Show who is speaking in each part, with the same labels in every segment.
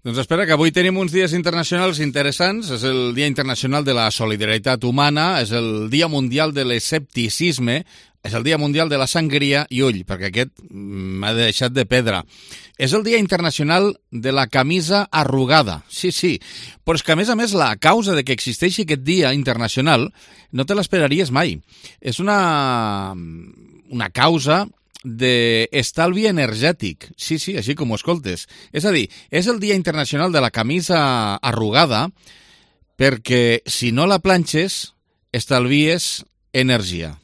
Speaker 1: Doncs espera, que avui tenim uns dies internacionals interessants. És el Dia Internacional de la Solidaritat Humana, és el Dia Mundial de l'Escepticisme, és el Dia Mundial de la Sangria i ull, perquè aquest m'ha deixat de pedra. És el Dia Internacional de la Camisa Arrugada. Sí, però és que a més, la causa de que existeixi aquest dia internacional no te l'esperaries mai. És una causa d'estalvi energètic. Sí, així com ho escoltes. És a dir, és el Dia Internacional de la Camisa Arrugada perquè si no la planxes estalvies energia.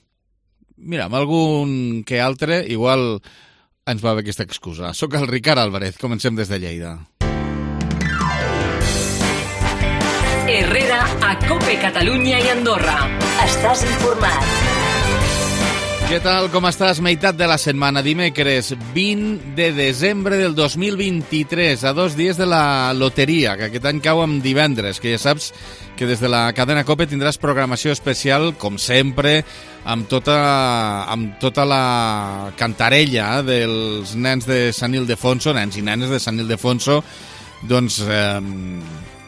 Speaker 1: Mira, amb algun que altre igual ens va bé aquesta excusa. Soc el Ricard Álvarez, comencem des de Lleida.
Speaker 2: Herrera a COPE Catalunya i Andorra. Estàs informat.
Speaker 1: Què tal, com estàs? Meitat de la setmana, dimecres 20 de desembre del 2023, a 2 dies de la loteria, que aquest any cau amb divendres, que ja saps que des de la cadena COPE tindràs programació especial, com sempre, amb tota la cantarella dels nens de Sant Ildefonso, nens i nenes de Sant Ildefonso, doncs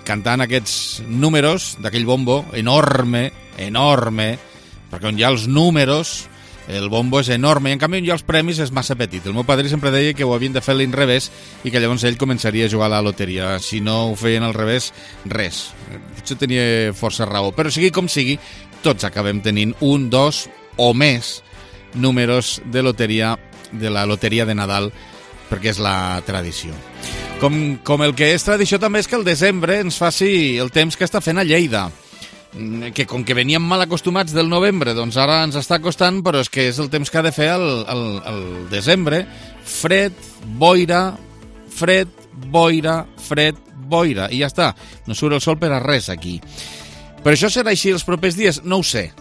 Speaker 1: cantant aquests números d'aquell bombo enorme, perquè on hi ha els números el bombo és enorme i en canvi on hi ha els premis és massa petit. El meu padrí sempre deia que ho havien de fer a l'inrevés i que llavors ell començaria a jugar a la loteria. Si no ho feien al revés, res. Potser tenia força raó. Però sigui com sigui, tots acabem tenint 1, 2 o més números de loteria, de la loteria de Nadal, perquè és la tradició. Com el que és tradició també és que el desembre ens faci el temps que està fent a Lleida, que com que veníem mal acostumats del novembre, doncs ara ens està costant, però és que és el temps que ha de fer el desembre. Fred, boira, i ja està. No surt el sol per a res aquí. Per això serà així els propers dies? No ho sé.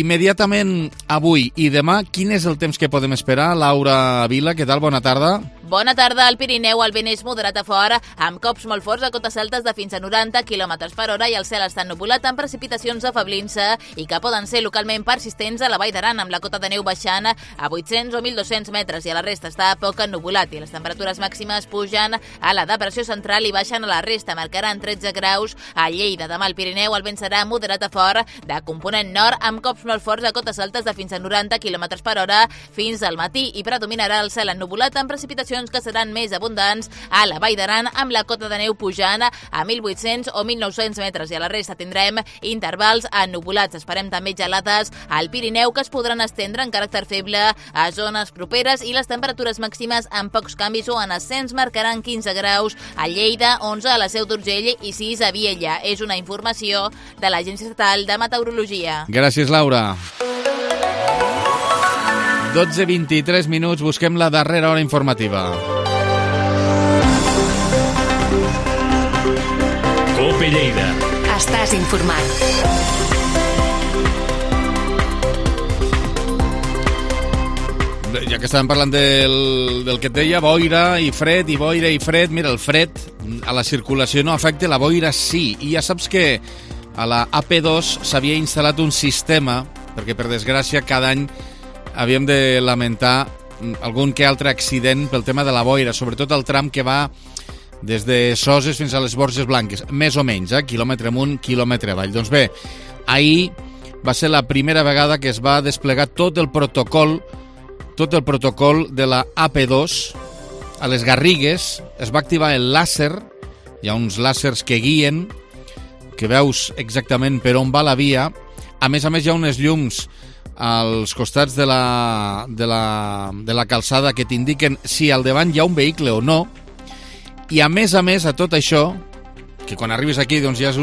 Speaker 1: Immediatament avui i demà, quin és el temps que podem esperar? Laura Vila, què tal? Bona tarda.
Speaker 3: Bona tarda. Al Pirineu el vent és moderat a fora, amb cops molt forts a cotes altes de fins a 90 km per hora i el cel està ennubulat amb precipitacions afablint-se i que poden ser localment persistents a la Vall d'Aran, amb la cota de neu baixant a 800 o 1.200 metres i a la resta està poc ennubulat i les temperatures màximes pugen a la depressió central i baixen a la resta, marcaran 13 graus a Lleida. Demà al Pirineu el vent serà moderat a fort de component nord amb cops molt forts a cotes altes de fins a 90 km per hora fins al matí i predominarà el cel ennubulat amb precipitacions que seran més abundants a la Vall d'Aran amb la cota de neu pujant a 1.800 o 1.900 metres i a la resta tindrem intervals ennubulats. Esperem també gelades al Pirineu que es podran estendre en caràcter feble a zones properes i les temperatures màximes amb pocs canvis o en ascens marcaran 15 graus a Lleida, 11 a la Seu d'Urgell i 6 a Viella. És una informació de l'Agència Estatal de Meteorologia.
Speaker 1: Gràcies, Laura. 12:23 minuts, busquem la darrera hora informativa.
Speaker 2: COPE Lleida. Estàs informat.
Speaker 1: Ja que estàvem parlant del que et deia, boira i fred. Mira, el fred a la circulació no afecta, la boira sí. I ja saps que a la AP2 s'havia instal·lat un sistema, perquè per desgràcia cada any havíem de lamentar algun que altre accident pel tema de la boira, sobretot el tram que va des de Soses fins a les Borges Blanques, més o menys, quilòmetre amunt, quilòmetre avall. Doncs bé, ahir va ser la primera vegada que es va desplegar tot el protocol de la AP2 a les Garrigues. Es va activar el làser, hi ha uns làsers que guien, que veus exactament per on va la via. A més, hi ha unes llums als costats de la calçada que t'indiquen si al davant hi ha un vehicle o no. I a més, a tot això, que quan arribes aquí doncs ja és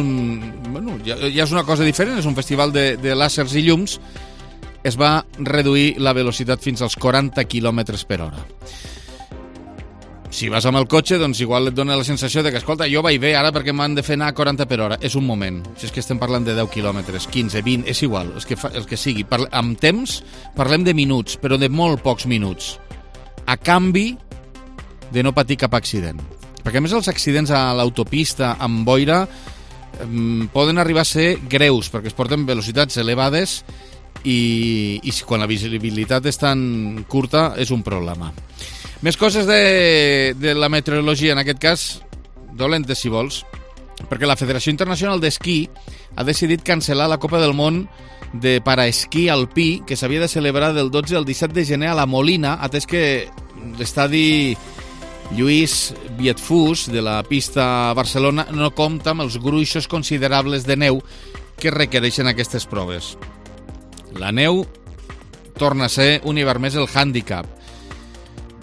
Speaker 1: una cosa diferent, és un festival de làsers i llums, es va reduir la velocitat fins als 40 km per hora. Si vas amb el cotxe, doncs igual et dona la sensació de que, escolta, jo vaig bé ara perquè m'han de fer anar a 40 per hora. És un moment. Si és que estem parlant de 10 quilòmetres, 15, 20, és igual, el que sigui. Amb temps parlem de minuts, però de molt pocs minuts. A canvi de no patir cap accident. Perquè a més els accidents a l'autopista amb boira poden arribar a ser greus, perquè es porten velocitats elevades i quan la visibilitat és tan curta és un problema. Més coses de la meteorologia, en aquest cas dolentes si vols, perquè la Federació Internacional d'Esquí ha decidit cancel·lar la Copa del Món de paraesquí alpí que s'havia de celebrar del 12 al 17 de gener a la Molina, atès que l'estadi Lluís Vietfús de la pista Barcelona no compta amb els gruixos considerables de neu que requereixen aquestes proves. La neu torna a ser un hivern més el hàndicap.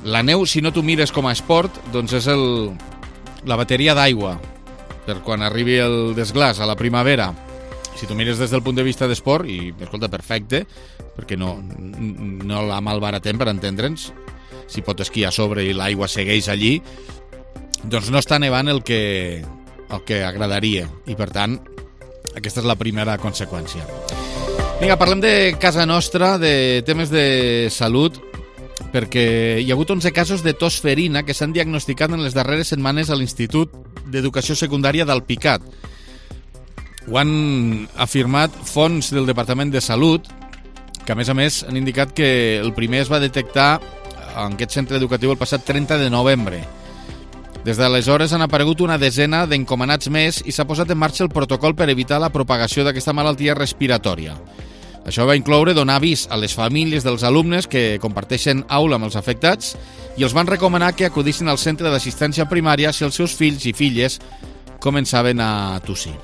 Speaker 1: La neu, si no t'ho mires com a esport, doncs és la bateria d'aigua per quan arribi el desglàs a la primavera. Si t'ho mires des del punt de vista d'esport, i escolta, perfecte, perquè no la malbaratem, per entendre'ns, si pot esquiar a sobre i l'aigua segueix allí, doncs no està nevant el que agradaria, i per tant aquesta és la primera conseqüència. Vinga, parlem de casa nostra, de temes de salut, perquè hi ha hagut 11 casos de tos ferina que s'han diagnosticat en les darreres setmanes a l'Institut d'Educació Secundària d'Alpicat. Ho han afirmat fonts del Departament de Salut, que a més han indicat que el primer es va detectar en aquest centre educatiu el passat 30 de novembre. Des d'aleshores han aparegut una desena d'encomanats més i s'ha posat en marxa el protocol per evitar la propagació d'aquesta malaltia respiratòria. Això va incloure donar avís a les famílies dels alumnes que comparteixen aula amb els afectats i els van recomanar que acudissin al centre d'assistència primària si els seus fills i filles començaven a tossir.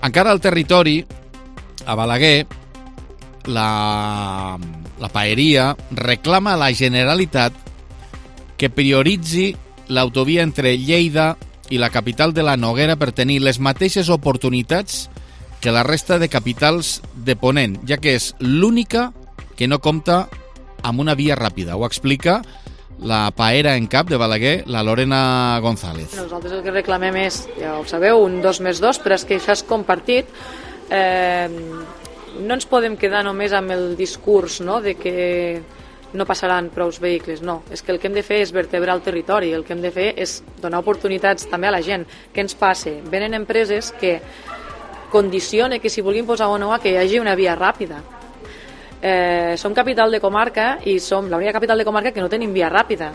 Speaker 1: Encara al territori, a Balaguer, la paeria reclama a la Generalitat que prioritzi l'autovia entre Lleida i la capital de la Noguera per tenir les mateixes oportunitats que la resta de capitals de Ponent, ja que és l'única que no compta amb una via ràpida. Ho explica la paera en cap de Balaguer, la Lorena González.
Speaker 4: Nosaltres el que reclamem és, ja ho sabeu, un 2+2, però és que això és compartit. No ens podem quedar només amb el discurs, no?, de que no passaran prous vehicles, no. És que el que hem de fer és vertebrar el territori, el que hem de fer és donar oportunitats també a la gent. Què ens passa? Venen empreses que condiciona que si vulguin posar o no que hi hagi una via ràpida. Som capital de comarca i som l'única capital de comarca que no tenim via ràpida.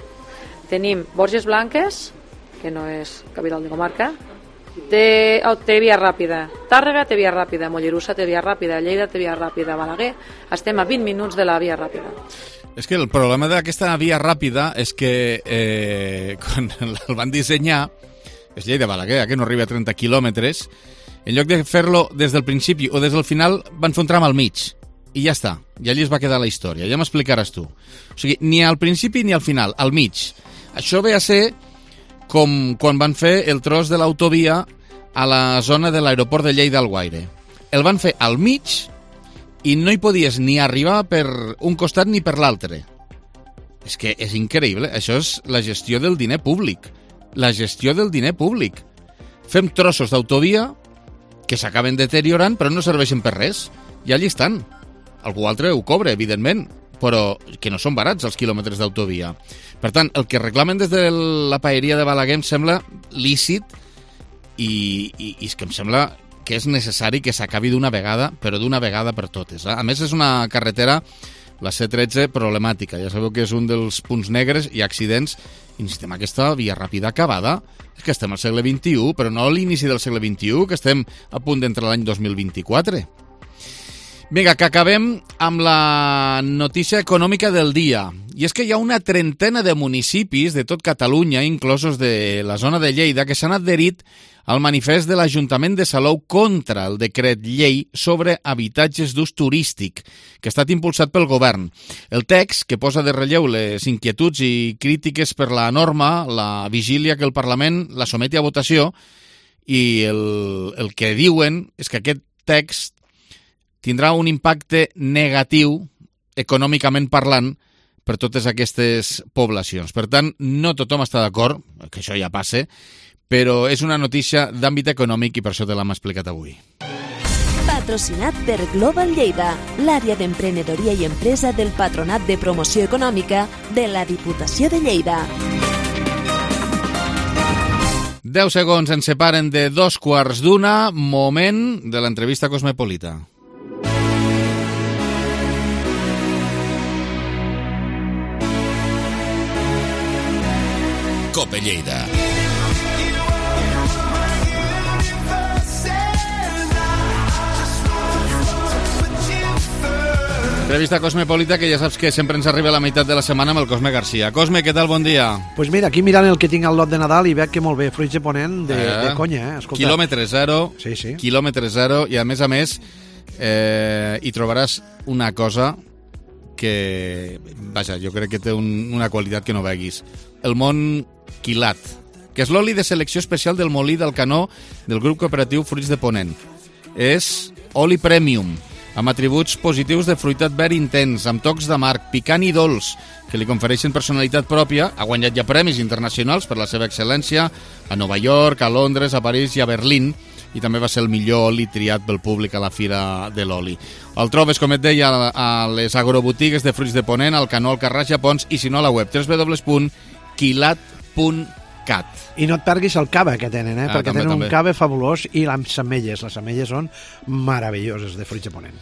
Speaker 4: Tenim Borges Blanques, que no és capital de comarca, té via ràpida. Tàrrega té via ràpida, Mollerussa té via ràpida, Lleida té via ràpida, Balaguer estem a 20 minuts de la via ràpida.
Speaker 1: És que el problema d'aquesta via ràpida és que quan el van dissenyar, és Lleida-Balaguer, que no arriba a 30 quilòmetres, en lloc de fer-lo des del principi o des del final, van fer un tram al mig. I ja està. I allí es va quedar la història. Ja m'explicaràs tu. O sigui, ni al principi ni al final, al mig. Això ve a ser com quan van fer el tros de l'autovia a la zona de l'aeroport de Lleida-Alguaire. El van fer al mig i no hi podies ni arribar per un costat ni per l'altre. És que és increïble. Això és la gestió del diner públic. La gestió del diner públic. Fem trossos d'autovia que s'acaben deteriorant però no serveixen per res. I allí estan. Algú altre ho cobra, evidentment, però que no són barats els quilòmetres d'autovia. Per tant, el que reclamen des de la paeria de Balaguer em sembla lícit i és que em sembla que és necessari que s'acabi d'una vegada, però d'una vegada per totes. A més, és una carretera, la C13, problemàtica. Ja sabeu que és un dels punts negres i accidents. I necessitem aquesta via ràpida acabada. És que estem al segle XXI, però no a l'inici del segle XXI, que estem a punt d'entrar l'any 2024. Vinga, que acabem amb la notícia econòmica del dia. I és que hi ha una trentena de municipis de tot Catalunya, inclosos de la zona de Lleida, que s'han adherit al manifest de l'Ajuntament de Salou contra el decret llei sobre habitatges d'ús turístic, que ha estat impulsat pel govern. El text, que posa de relleu les inquietuds i crítiques per la norma, la vigília que el Parlament la someti a votació, i el que diuen és que aquest text tindrà un impacte negatiu, econòmicament parlant, per totes aquestes poblacions. Per tant, no tothom està d'acord, que això ja passa, però és una notícia d'àmbit econòmic i per això te l'hem explicat avui.
Speaker 5: Patrocinat per Global Lleida, l'àrea d'emprenedoria i empresa del Patronat de Promoció Econòmica de la Diputació de Lleida.
Speaker 1: 10 segons ens separen de 2:15, moment de l'entrevista cosmopolita.
Speaker 2: Cope Lleida.
Speaker 1: Entrevista Cosmopolita, que ja saps que sempre ens arriba a la meitat de la setmana amb el Cosme Garcia. Cosme, què tal? Bon dia.
Speaker 6: Pues mira, aquí mirant el que tinc al lot de Nadal i veig que molt bé, fruits de ponent de conya, escolta.
Speaker 1: Quilòmetre zero,
Speaker 6: sí.
Speaker 1: Quilòmetre zero, i a més, hi trobaràs una cosa que, vaja, jo crec que té una qualitat que no veguis. El món quilat, que és l'oli de selecció especial del molí del Canó del grup cooperatiu Fruits de Ponent. És oli premium, amb atributs positius de fruitat verd intens, amb tocs d'amarg, picant i dolç, que li confereixen personalitat pròpia. Ha guanyat ja premis internacionals per la seva excel·lència a Nova York, a Londres, a París i a Berlín, i també va ser el millor oli triat pel públic a la Fira de l'Oli. El trobes, com et deia, a les agrobotigues de Fruits de Ponent, al Canó, al Carràs i a Pons, i si no a la web www.quilat.cat.
Speaker 6: I no et perguis el cava que tenen, perquè
Speaker 1: també,
Speaker 6: tenen
Speaker 1: també
Speaker 6: un cava fabulós, i les ametlles són meravelloses de Fruits de Ponent.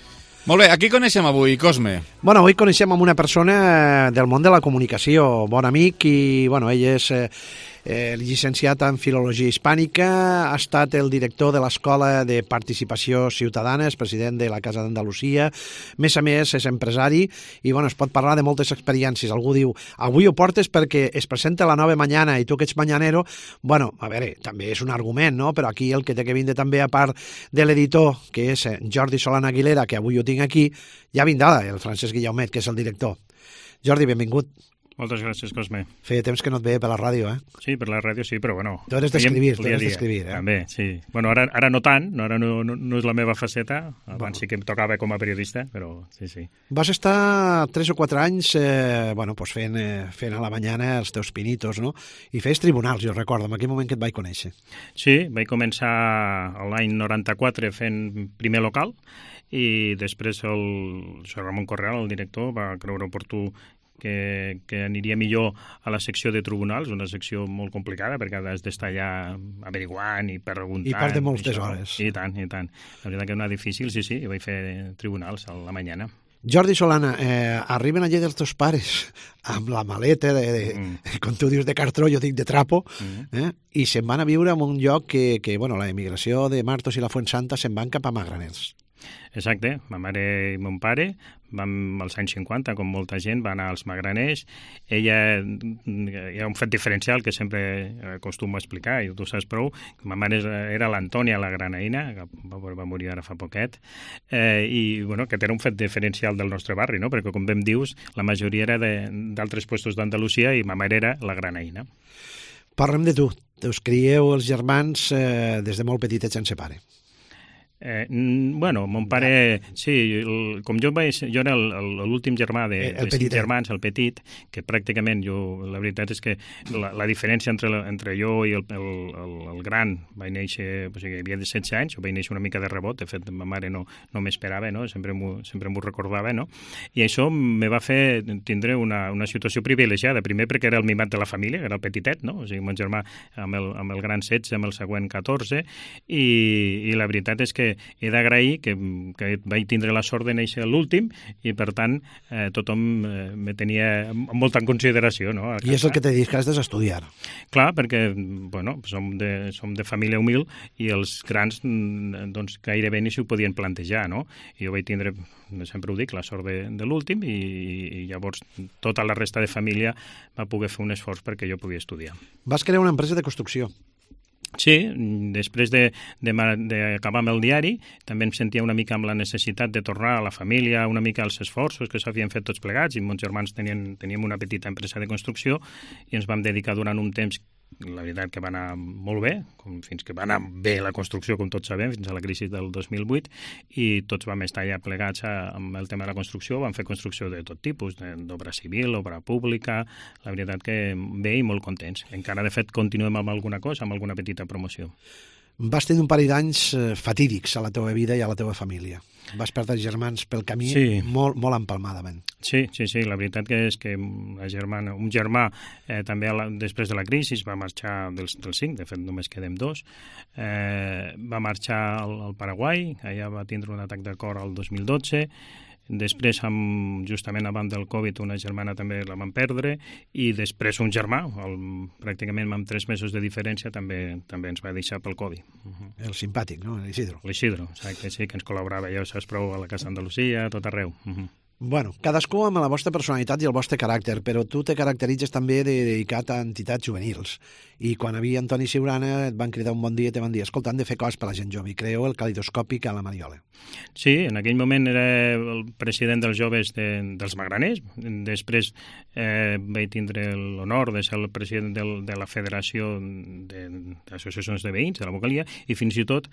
Speaker 1: Molt bé, a qui coneixem avui, Cosme?
Speaker 6: Bueno, avui coneixem amb una persona del món de la comunicació, bon amic, i bueno, ell és llicenciat en Filologia Hispànica, ha estat el director de l'Escola de Participació Ciutadana, és president de la Casa d'Andalusia, a més, és empresari, i bueno, es pot parlar de moltes experiències. Algú diu, avui ho portes perquè es presenta la nova mañana i tu que ets mañanero, bueno, a veure, també és un argument, no? Però aquí el que té que vindre també, a part de l'editor, que és Jordi Solana Aguilera, que avui ho tinc aquí, ja vindrà el Francesc Guillaumet, que és el director. Jordi, benvingut.
Speaker 7: Moltes gràcies, Cosme.
Speaker 6: Feia temps que no et veia per la ràdio,
Speaker 7: Sí, per la ràdio sí, però bueno...
Speaker 6: Tu eres d'escrivir,
Speaker 7: També, sí. Bueno, ara no tant, ara no és la meva faceta, abans sí que em tocava com a periodista, però sí.
Speaker 6: Vas estar 3 o 4 anys fent a la mañana els teus pinitos, no? I feies tribunals, jo recordo, en aquell moment que et vaig conèixer.
Speaker 7: Sí, vaig començar l'any 94 fent primer local, i després el Ramon Correal, el director, va creure oportú que aniria millor a la secció de tribunals, una secció molt complicada perquè has d'estar allà averiguant i preguntant.
Speaker 6: I part de moltes hores.
Speaker 7: I tant. La veritat que era difícil, sí, i vaig fer tribunals a la mañana.
Speaker 6: Jordi Solana, arriben allà dels teus pares amb la maleta, com tu dius, de cartró, jo dic de trapo, i se'n van a viure en un lloc que la emigració de Martos i la Fuensanta se'n van cap a Magraners.
Speaker 7: Exacte, ma mare i mon pare vam als anys 50, com molta gent, va anar als Magraners. Ella, hi ha un fet diferencial que sempre acostumo a explicar, i tu saps prou, que ma mare era l'Antònia, la granaïna, que va morir ara fa poquet, i bueno, que era un fet diferencial del nostre barri, no? Perquè com ben dius, la majoria era d'altres puestos d'Andalusia i ma mare era la granaïna.
Speaker 6: Parlem de tu. Us crieu els germans des de molt petitets sense pare.
Speaker 7: Mon pare, sí, com jo era l'últim germà de 5 germans, el petit, que pràcticament la veritat és que la diferència entre jo i el gran vaig néixer, o sigui, havia de 16 anys, jo vaig néixer una mica de rebot, de fet, ma mare no m'esperava, no? Sempre m'ho recordava, no? I això me va fer tindre una situació privilegiada, primer perquè era el mimat de la família, era el petitet, no? O sigui, mon germà amb el gran 16, amb el següent 14, i la veritat és que he d'agrair que vaig tindre la sort de néixer l'últim i, per tant, tothom me tenia molta en consideració. No?
Speaker 6: I és el que t'he dit, que has d'estudiar.
Speaker 7: Clar, perquè som de família humil i els grans doncs, gairebé ni s'ho podien plantejar. No? I jo vaig tindre, sempre ho dic, la sort de l'últim i llavors tota la resta de família va poder fer un esforç perquè jo podia estudiar.
Speaker 6: Vas crear una empresa de construcció.
Speaker 7: Sí, després d'acabar amb el diari, també em sentia una mica amb la necessitat de tornar a la família, una mica als esforços que s'havien fet tots plegats, i mons germans teníem una petita empresa de construcció i ens vam dedicar durant un temps, la veritat que va anar molt bé, fins que va anar bé la construcció, com tots sabem, fins a la crisi del 2008, i tots vam estar ja plegats amb el tema de la construcció, vam fer construcció de tot tipus, d'obra civil, obra pública, la veritat que bé i molt contents. Encara, de fet, continuem amb alguna cosa, amb alguna petita promoció.
Speaker 6: Vas tenir un parell d'anys fatídics a la teva vida i a la teva família. Vas perdre els germans pel camí molt empalmadament.
Speaker 7: Sí, la veritat que és que un germà també després de la crisi va marxar dels 5, de fet només quedem 2, va marxar al Paraguai, allà va tindre un atac de cor el 2012, després, justament abans del Covid, una germana també la van perdre, i després un germà, pràcticament amb 3 mesos de diferència, també ens va deixar pel Covid.
Speaker 6: El simpàtic, no? L'Isidro.
Speaker 7: L'Isidro, exacte, sí, que ens col·laborava, ja ho saps prou, a la Casa d'Andalusia, a tot arreu.
Speaker 6: Bueno, cadascú amb la vostra personalitat i el vostre caràcter, però tu te caracteritzes també dedicat a entitats juvenils. I quan havia Antoni Siurana et van cridar un bon dia i te van dir escolta, han de fer coses per la gent jove i creeu el Calidoscòpic a la Mariola.
Speaker 7: Sí, en aquell moment era el president dels joves dels Magraners. Després vaig tindre l'honor de ser el president de la Federació d'Associacions de Veïns, de la vocalia, i fins i tot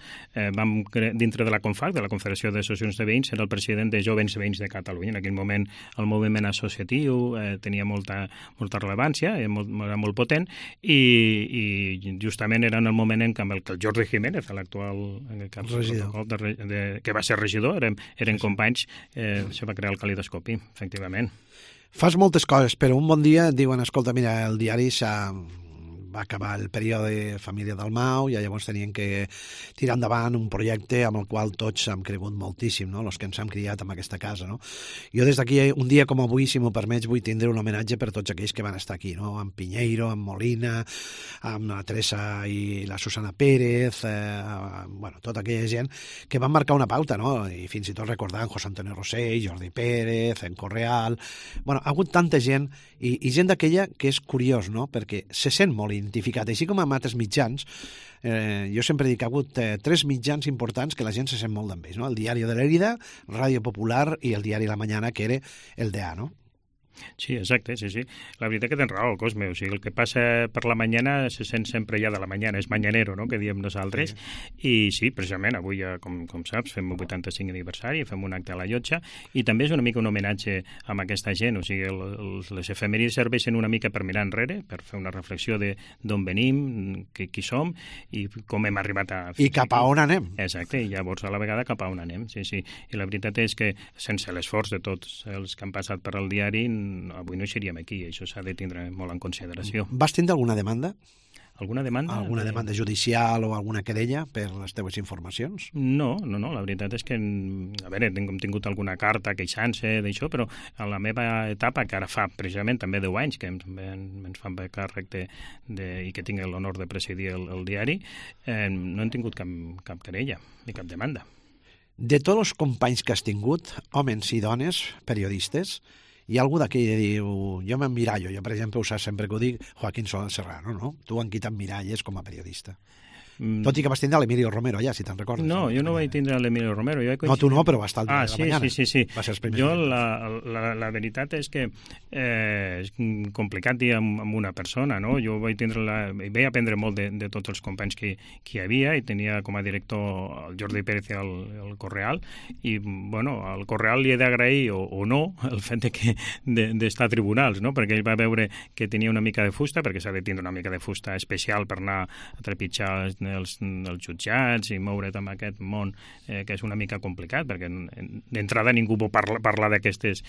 Speaker 7: vam dintre de la CONFAC, de la Confederació d'Associacions de Veïns, era el president de Jovens Veïns de Catalunya. En aquell moment el moviment associatiu tenia molta rellevància, era molt potent, i justament era en el moment en què el Jordi Jiménez, l'actual que va ser regidor, eren companys, se va crear el Calidoscopi, efectivament.
Speaker 6: Fas moltes coses, però un bon dia et diuen, escolta, mira, el diari va acabar el període Família Dalmau i llavors tenien que tirar endavant un projecte amb el qual tots hem cregut moltíssim, no? Els que ens hem criat en aquesta casa, no? Jo des d'aquí, un dia com avui, si m'ho permets, vull tindre un homenatge per tots aquells que van estar aquí, no? Amb Pinheiro, amb Molina, amb la Teresa i la Susana Pérez, bueno, tota aquella gent que van marcar una pauta, no? I fins i tot recordant José Antonio Rossell, Jordi Pérez, en Correal... Bueno, ha hagut tanta gent i gent d'aquella que és curiós, no? Perquè se sent molt identificat, així com amb altres mitjans. Jo sempre dic que ha hagut 3 mitjans importants que la gent se sent molt d'ells, no? El Diari de Lérida, Ràdio Popular i el Diari La Mañana, que era el DA, no?
Speaker 7: Sí, exacte, sí. La veritat que tens raó, Cosme, o sigui, el que passa per la mañana se sent sempre ja de la mañana, és mañanero, no?, que diem nosaltres, i sí, precisament, avui, com saps, fem el 85 aniversari, fem un acte a la Llotja, i també és una mica un homenatge a aquesta gent, o sigui, les efemèrides serveixen una mica per mirar enrere, per fer una reflexió d'on venim, qui som, i com hem arribat a...
Speaker 6: I cap a on anem.
Speaker 7: Exacte, i llavors a la vegada cap a on anem, sí. I la veritat és que, sense l'esforç de tots els que han passat per al diari, avui no seríem aquí, això s'ha de tindre molt en consideració.
Speaker 6: Vas tindre alguna demanda?
Speaker 7: Alguna demanda?
Speaker 6: Alguna demanda judicial o alguna querella per les teves informacions?
Speaker 7: No, la veritat és que, a veure, hem tingut alguna carta queixant-se d'això, però a la meva etapa, que ara fa precisament també 10 anys que ens fan càrrec i que tinc l'honor de presidir el diari, no hem tingut cap querella ni cap demanda.
Speaker 6: De tots els companys que has tingut, homes i dones, periodistes, hi ha algú d'aquí que diu, jo m'emmirallo, jo per exemple ho saps sempre que ho dic, Joaquín Solán Serrano, no? Tu en qui t'emmiralles com a periodista? Tot i que vas tindre l'Emilio Romero allà, si te'n recordes.
Speaker 7: No, jo no vaig tindre l'Emilio Romero.
Speaker 6: No, tu no, però va estar al Diari de la Mañana.
Speaker 7: Sí.
Speaker 6: Va ser els primers.
Speaker 7: Jo, la veritat és que és complicat dir amb una persona, no? Jo vaig aprendre molt de tots els companys que hi havia, i tenia com a director el Jordi Pérez i el Correal, i, bueno, al Correal li he d'agrair, o no, el fet d'estar a tribunals, no? Perquè ell va veure que tenia una mica de fusta, perquè s'ha de tindre una mica de fusta especial per anar a trepitjar els jutjats i moure't en aquest món que és una mica complicat, perquè d'entrada ningú pot parlar d'aquests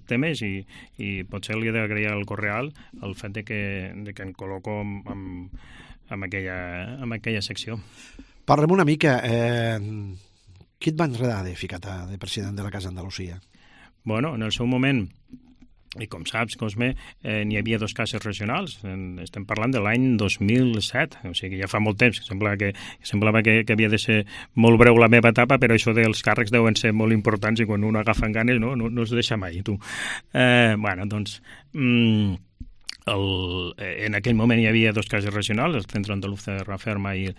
Speaker 7: temes, i potser li he d'agrair al Correal el fet de que em col·loco en aquella secció.
Speaker 6: Parlem una mica, qui et va enredar de ficar-te de president de la Casa Andalusia?
Speaker 7: Bueno, en el seu moment, i com saps, Cosme, n'hi havia 2 cases regionals. Estem parlant de l'any 2007, o sigui, ja fa molt temps. Semblava que havia de ser molt breu la meva etapa, però això dels càrrecs deuen ser molt importants i quan un agafa ganes no es deixa mai, tu. Bueno, doncs... En aquell moment hi havia 2 cases regionals, el Centro Andaluz de Referma i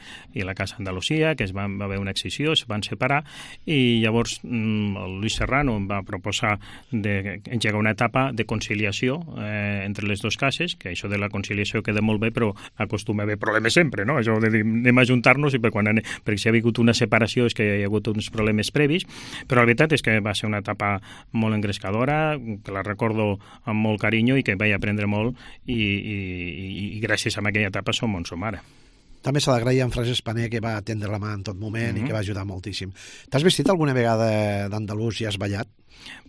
Speaker 7: la Casa Andalusia, que va haver una excisió, es van separar, i llavors el Luis Serrano em va proposar d'engegar una etapa de conciliació entre les 2 cases, que això de la conciliació queda molt bé, però acostuma a haver problemes sempre, no? Això de dir, anem a ajuntar-nos, perquè si ha hagut una separació és que hi ha hagut uns problemes previs, però la veritat és que va ser una etapa molt engrescadora, que la recordo amb molt carinyo i que vaig aprendre molt, i gràcies a aquella etapa som on som ara.
Speaker 6: També s'ha d'agrair a en Francesc Paner, que va atendre la mà en tot moment i que va ajudar moltíssim. T'has vestit alguna vegada d'andalús i has ballat?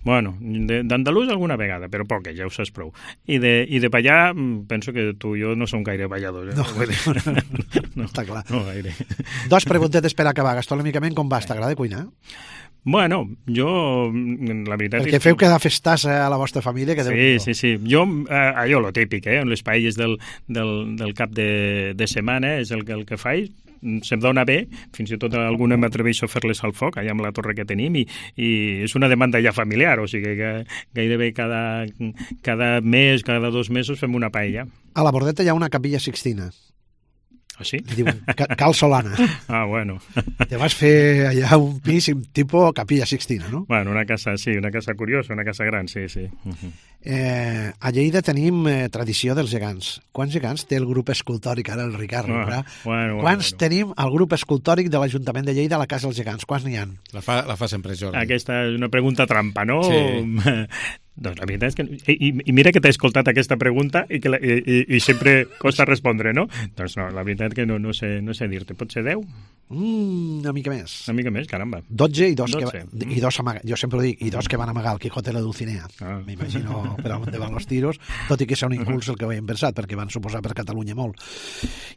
Speaker 7: Bueno, d'andalús alguna vegada, però poca, ja ho saps prou. I de ballar, penso que tu i jo no som gaire balladors.
Speaker 6: No, està clar.
Speaker 7: No gaire.
Speaker 6: 2 preguntetes per acabar. Gastronòmicament, com vas? T'agrada cuinar?
Speaker 7: Bueno, jo, la veritat...
Speaker 6: Perquè feu cada festassa a la vostra família, que
Speaker 7: Sí. Jo, allò, lo típic, les paelles del cap de setmana és el que faig, se'm dona bé, fins i tot alguna m'atreveixo a fer-les al foc, allà amb la torre que tenim, i és una demanda ja familiar, o sigui que gairebé cada mes, cada 2 mesos fem una paella.
Speaker 6: A la Bordeta hi ha una capilla Sixtina.
Speaker 7: Ah, sí?
Speaker 6: Diuen Cal Solana.
Speaker 7: Ah, bueno.
Speaker 6: Te vas fer allà un pis tipus capilla Sixtina, no?
Speaker 7: Bueno, una casa curiosa, una casa gran, sí.
Speaker 6: A Lleida tenim tradició dels gegants. Quants gegants té el grup escultòric, ara el Ricard? Quants tenim al grup escultòric de l'Ajuntament de Lleida a la Casa dels Gegants? Quants n'hi ha?
Speaker 1: La fa sempre Jordi.
Speaker 7: Aquesta és una pregunta trampa, no?
Speaker 1: Sí.
Speaker 7: Doncs la veritat és que... I mira que t'he escoltat aquesta pregunta i sempre costa respondre, no? Doncs no, la veritat que no sé dir-te. Pot ser 10?
Speaker 6: Una mica més.
Speaker 7: Una mica més, caramba.
Speaker 6: 12 i 2 jo sempre ho dic, i 2 que van amagar el Quijote i la Dulcinea. M'imagino per on van els tiros, tot i que és un impuls el que ho hem pensat, perquè van suposar per Catalunya molt.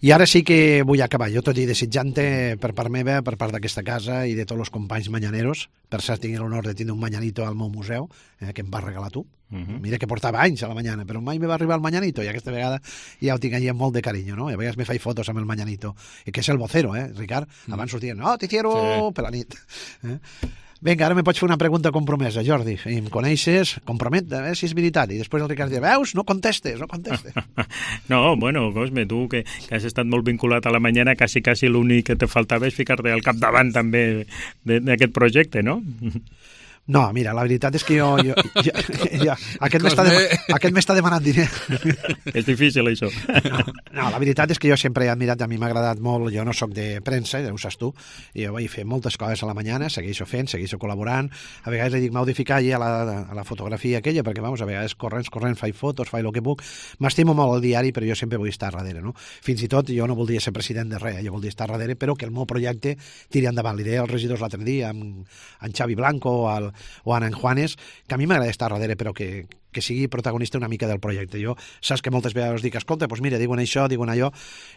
Speaker 6: I ara sí que vull acabar, jo tot i desitjant-te per part meva, per part d'aquesta casa i de tots els companys manyaneros, per cert tinc l'honor de tenir un manyanito al meu museu, que em va regalar tu. Mira que portava anys a la mañana, però mai me va arribar el mañanito, i aquesta vegada ja ho tinc allà amb molt de carinyo, no? I a vegades me faig fotos amb el mañanito, que és el vocero, Ricard? Abans sortien, no, t'hicieron per la nit. Vinga, ara me pots fer una pregunta compromesa, Jordi. Em coneixes, compromet, a veure si és veritat. I després el Ricard diu, veus, no contestes.
Speaker 7: No, bueno, Cosme, tu que has estat molt vinculat a la mañana, quasi l'únic que te faltava és ficar-te al capdavant també d'aquest projecte, no?
Speaker 6: No, mira, la veritat és que jo aquest m'està demanant diner.
Speaker 7: És difícil, això.
Speaker 6: No, la veritat és que jo sempre he admirat, a mi m'ha agradat molt, jo no sóc de premsa, ja ho saps tu, i jo vaig fer moltes coses a la mañana, segueixo fent, segueixo col·laborant, a vegades li dic, m'heu de ficar allà a la fotografia aquella, perquè, vamos, a vegades corrents, faig fotos, faig el que puc, m'estimo molt el diari, però jo sempre vull estar darrere, no? Fins i tot jo no voldria ser president de res, jo voldria estar darrere, però que el meu projecte tiri endavant. Li deia als regidors l'altre dia, amb en Xavi Blanco o en Juanes, que a mi m'agrada estar darrere, però que sigui protagonista una mica del projecte. Jo saps que moltes vegades dic, escolta, doncs mira, diuen això, diuen allò,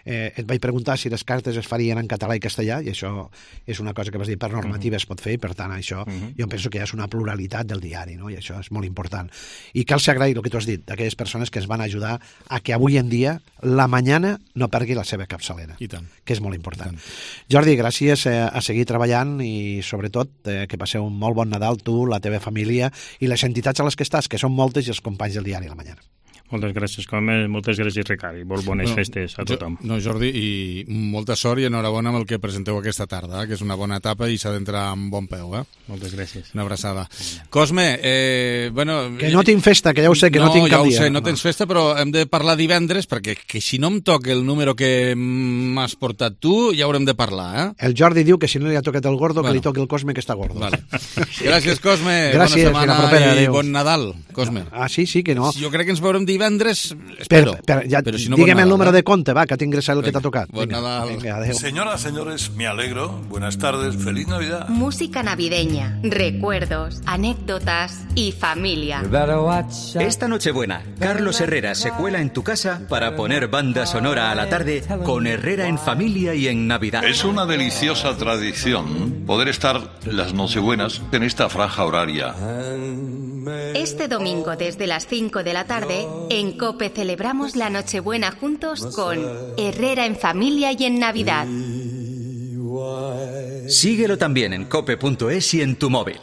Speaker 6: et vaig preguntar si les cartes es farien en català i castellà, i això és una cosa que vas dir, per normativa es pot fer, i per tant això jo penso que és una pluralitat del diari, no? I això és molt important. I cal ser agraït el que tu has dit, d'aquelles persones que ens van ajudar a que avui en dia la mañana no pergui la seva capçalera, que és molt important. Jordi, gràcies a seguir treballant i sobretot que passeu un molt bon Nadal, tu, la teva família i les entitats a les que estàs, que són moltes, i els companys del diari La Mañana.
Speaker 7: Moltes gràcies, Cosme, moltes gràcies, Ricard, i molt bones festes a tothom.
Speaker 1: No, Jordi, i molta sort i enhorabona amb el que presenteu aquesta tarda, que és una bona etapa i s'ha d'entrar amb bon peu.
Speaker 7: Moltes gràcies.
Speaker 1: Una abraçada. Cosme, bueno...
Speaker 6: Que no tinc festa, que ja ho sé, que no tinc cap dia.
Speaker 1: No, ja ho sé, no tens festa, però hem de parlar divendres, perquè que si no em toca el número que m'has portat tu, ja haurem de parlar,
Speaker 6: El Jordi diu que si no li ha tocat el gordo, que li toqui el Cosme, que està gordo.
Speaker 1: Vale. Gràcies, Cosme.
Speaker 6: Gràcies,
Speaker 1: bona setmana i bon Nadal, Cosme.
Speaker 6: Sí, que no.
Speaker 1: Jo crec que ens veurem divendres, espero.
Speaker 6: Pero si no, dígame el número de conte, va, que tinc el que t'ha tocat.
Speaker 1: Venga,
Speaker 8: señoras, señores, me alegro. Buenas tardes, feliz Navidad.
Speaker 9: Música navideña, recuerdos, anécdotas y familia.
Speaker 10: Esta Nochebuena, Carlos Herrera se cuela en tu casa para poner banda sonora a la tarde con Herrera en familia y en Navidad.
Speaker 8: Es una deliciosa tradición poder estar las Nochebuenas en esta franja horaria.
Speaker 9: Este domingo desde las 5 de la tarde, en COPE celebramos la Nochebuena juntos con Herrera en familia y en Navidad.
Speaker 10: Síguelo también en cope.es y en tu móvil.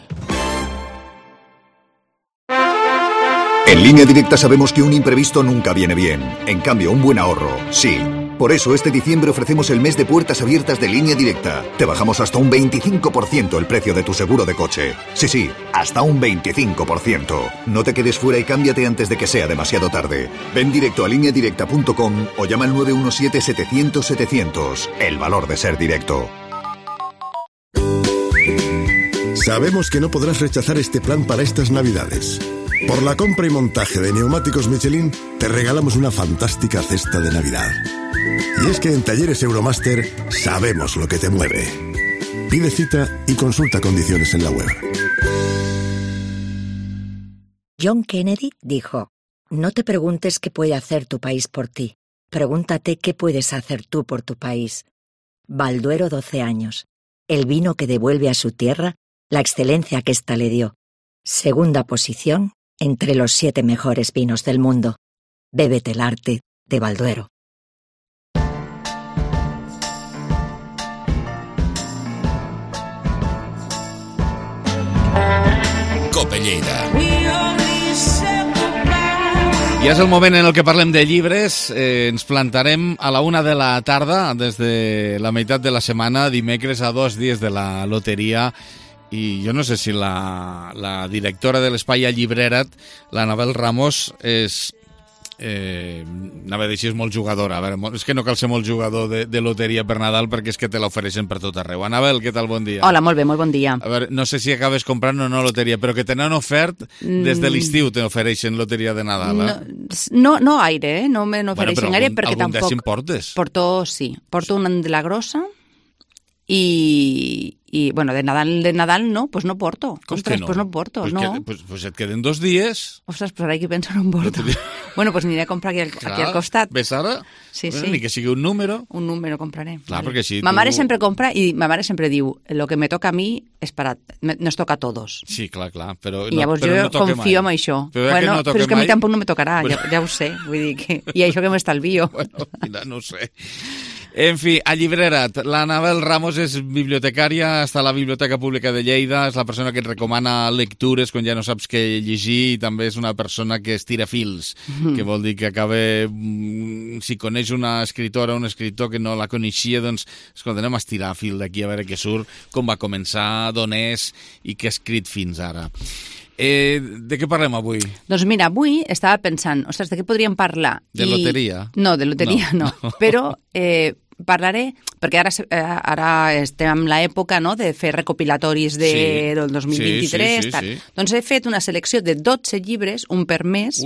Speaker 11: En Línea Directa sabemos que un imprevisto nunca viene bien. En cambio, un buen ahorro, sí. Por eso este diciembre ofrecemos el mes de puertas abiertas de Línea Directa. Te bajamos hasta un 25% el precio de tu seguro de coche. Sí, hasta un 25%. No te quedes fuera y cámbiate antes de que sea demasiado tarde. Ven directo a lineadirecta.com o llama al 917-700-700. El valor de ser directo.
Speaker 12: Sabemos que no podrás rechazar este plan para estas Navidades. Por la compra y montaje de neumáticos Michelin, te regalamos una fantástica cesta de Navidad. Y es que en Talleres Euromaster sabemos lo que te mueve. Pide cita y consulta condiciones en la web.
Speaker 13: John Kennedy dijo, no te preguntes qué puede hacer tu país por ti. Pregúntate qué puedes hacer tú por tu país. Balduero 12 años. El vino que devuelve a su tierra la excelencia que ésta le dio. Segunda posición entre los 7 mejores vinos del mundo. Bébete el arte de Balduero.
Speaker 1: Lleida. I és el moment en el que parlem de llibres. Ens plantarem a la 1 de la tarda, des de la meitat de la setmana, dimecres a 2 dies de la loteria. I jo no sé si la directora de l'Espai a Llibrerat, l'Anabel Ramos, anava a dir si és molt jugadora. A veure, és que no cal ser molt jugador de loteria per Nadal, perquè és que te l'ofereixen per tot arreu. Anabel, què tal? Bon dia.
Speaker 14: Hola, molt bé, molt bon dia.
Speaker 1: A veure, no sé si acabes comprant o no loteria, però que tenen ofert des de l'estiu, te ofereixen loteria de Nadal,
Speaker 14: No gaire, no me n'ofereixen gaire, perquè tampoc...
Speaker 1: Algun dècim portes?
Speaker 14: Porto una de la grossa i bueno, de Nadal no, pues no porto.
Speaker 1: Ostres, no?
Speaker 14: Pues no porto, no.
Speaker 1: Pues et queden 2 dies.
Speaker 14: Ostres, però ara que penso no em porto. Bueno, pues aniré a comprar aquí al costat.
Speaker 1: Ves ara?
Speaker 14: Sí.
Speaker 1: Ni que sigui un número.
Speaker 14: Un número compraré.
Speaker 1: Clar, perquè així
Speaker 14: Ma mare sempre compra i ma mare sempre diu lo que me toca a mi es nos toca a todos.
Speaker 1: Sí, clar, però
Speaker 14: I llavors jo confio en això. Bueno, però és que a mi tampoc no me tocarà, ja ho sé. Vull dir que... I això que m'estalvio.
Speaker 1: Bueno, mira, no sé. En fi, a Llibrerat, l'Anabel Ramos és bibliotecària, està a la Biblioteca Pública de Lleida, és la persona que et recomana lectures quan ja no saps què llegir, i també és una persona que estira fils, que vol dir que acaba, si coneix una escritora o un escritor que no la coneixia, doncs, escolta, anem a estirar fil d'aquí a veure què surt, com va començar, d'on és i què ha escrit fins ara. De què parlem avui?
Speaker 14: Doncs mira, avui estava pensant, ostres, de què podríem parlar?
Speaker 1: De loteria?
Speaker 14: No, de loteria no. Però parlaré, perquè ara estem en l'època de fer recopilatoris del 2023.
Speaker 1: Sí.
Speaker 14: Doncs he fet una selecció de 12 llibres, un per mes,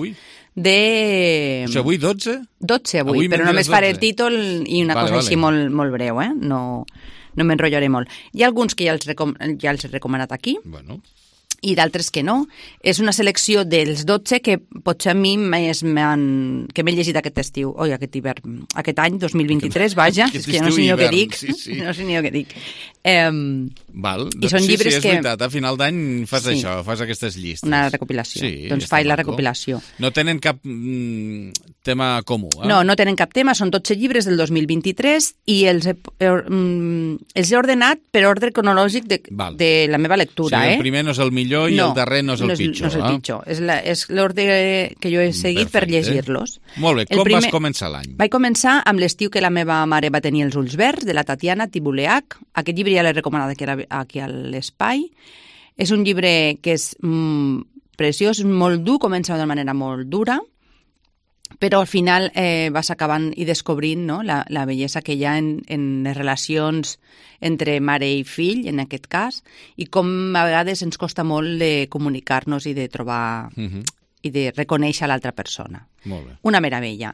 Speaker 14: de...
Speaker 1: O sigui, avui 12?
Speaker 14: 12 avui, però només faré el títol i una cosa així molt breu, no m'enrotllaré molt. Hi ha alguns que ja els he recomanat aquí.
Speaker 1: Bueno...
Speaker 14: i d'altres que no. És una selecció dels 12 que potser a mi que m'he llegit aquest estiu, aquest hivern, aquest any, 2023, vaja, és que no sé ni el que dic. No sé ni el que dic.
Speaker 1: Val.
Speaker 14: I són llibres
Speaker 1: que... Sí, és veritat, a final d'any fas això, fas aquestes llistes.
Speaker 14: Una recopilació. Doncs faig la recopilació.
Speaker 1: No tenen cap tema comú,
Speaker 14: No tenen cap tema, són 12 llibres del 2023 i els he ordenat per ordre cronològic de la meva lectura.
Speaker 1: El primer no és el millor i el darrer no és el pitjor.
Speaker 14: No és el pitjor, és l'ordre que jo he seguit per llegir-los.
Speaker 1: Molt bé, com vas començar l'any?
Speaker 14: Vaig començar amb l'estiu que la meva mare va tenir els ulls verds, de la Tatiana Tibuleac. Aquest llibre ja l'he recomanat aquí a l'Espai. És un llibre que és preciós, molt dur, comença d'una manera molt dura, però al final vas acabant i descobrint la bellesa que hi ha en les relacions entre mare i fill, en aquest cas, i com a vegades ens costa molt de comunicar-nos i de trobar i de reconèixer l'altra persona.
Speaker 1: Molt bé.
Speaker 14: Una meravella.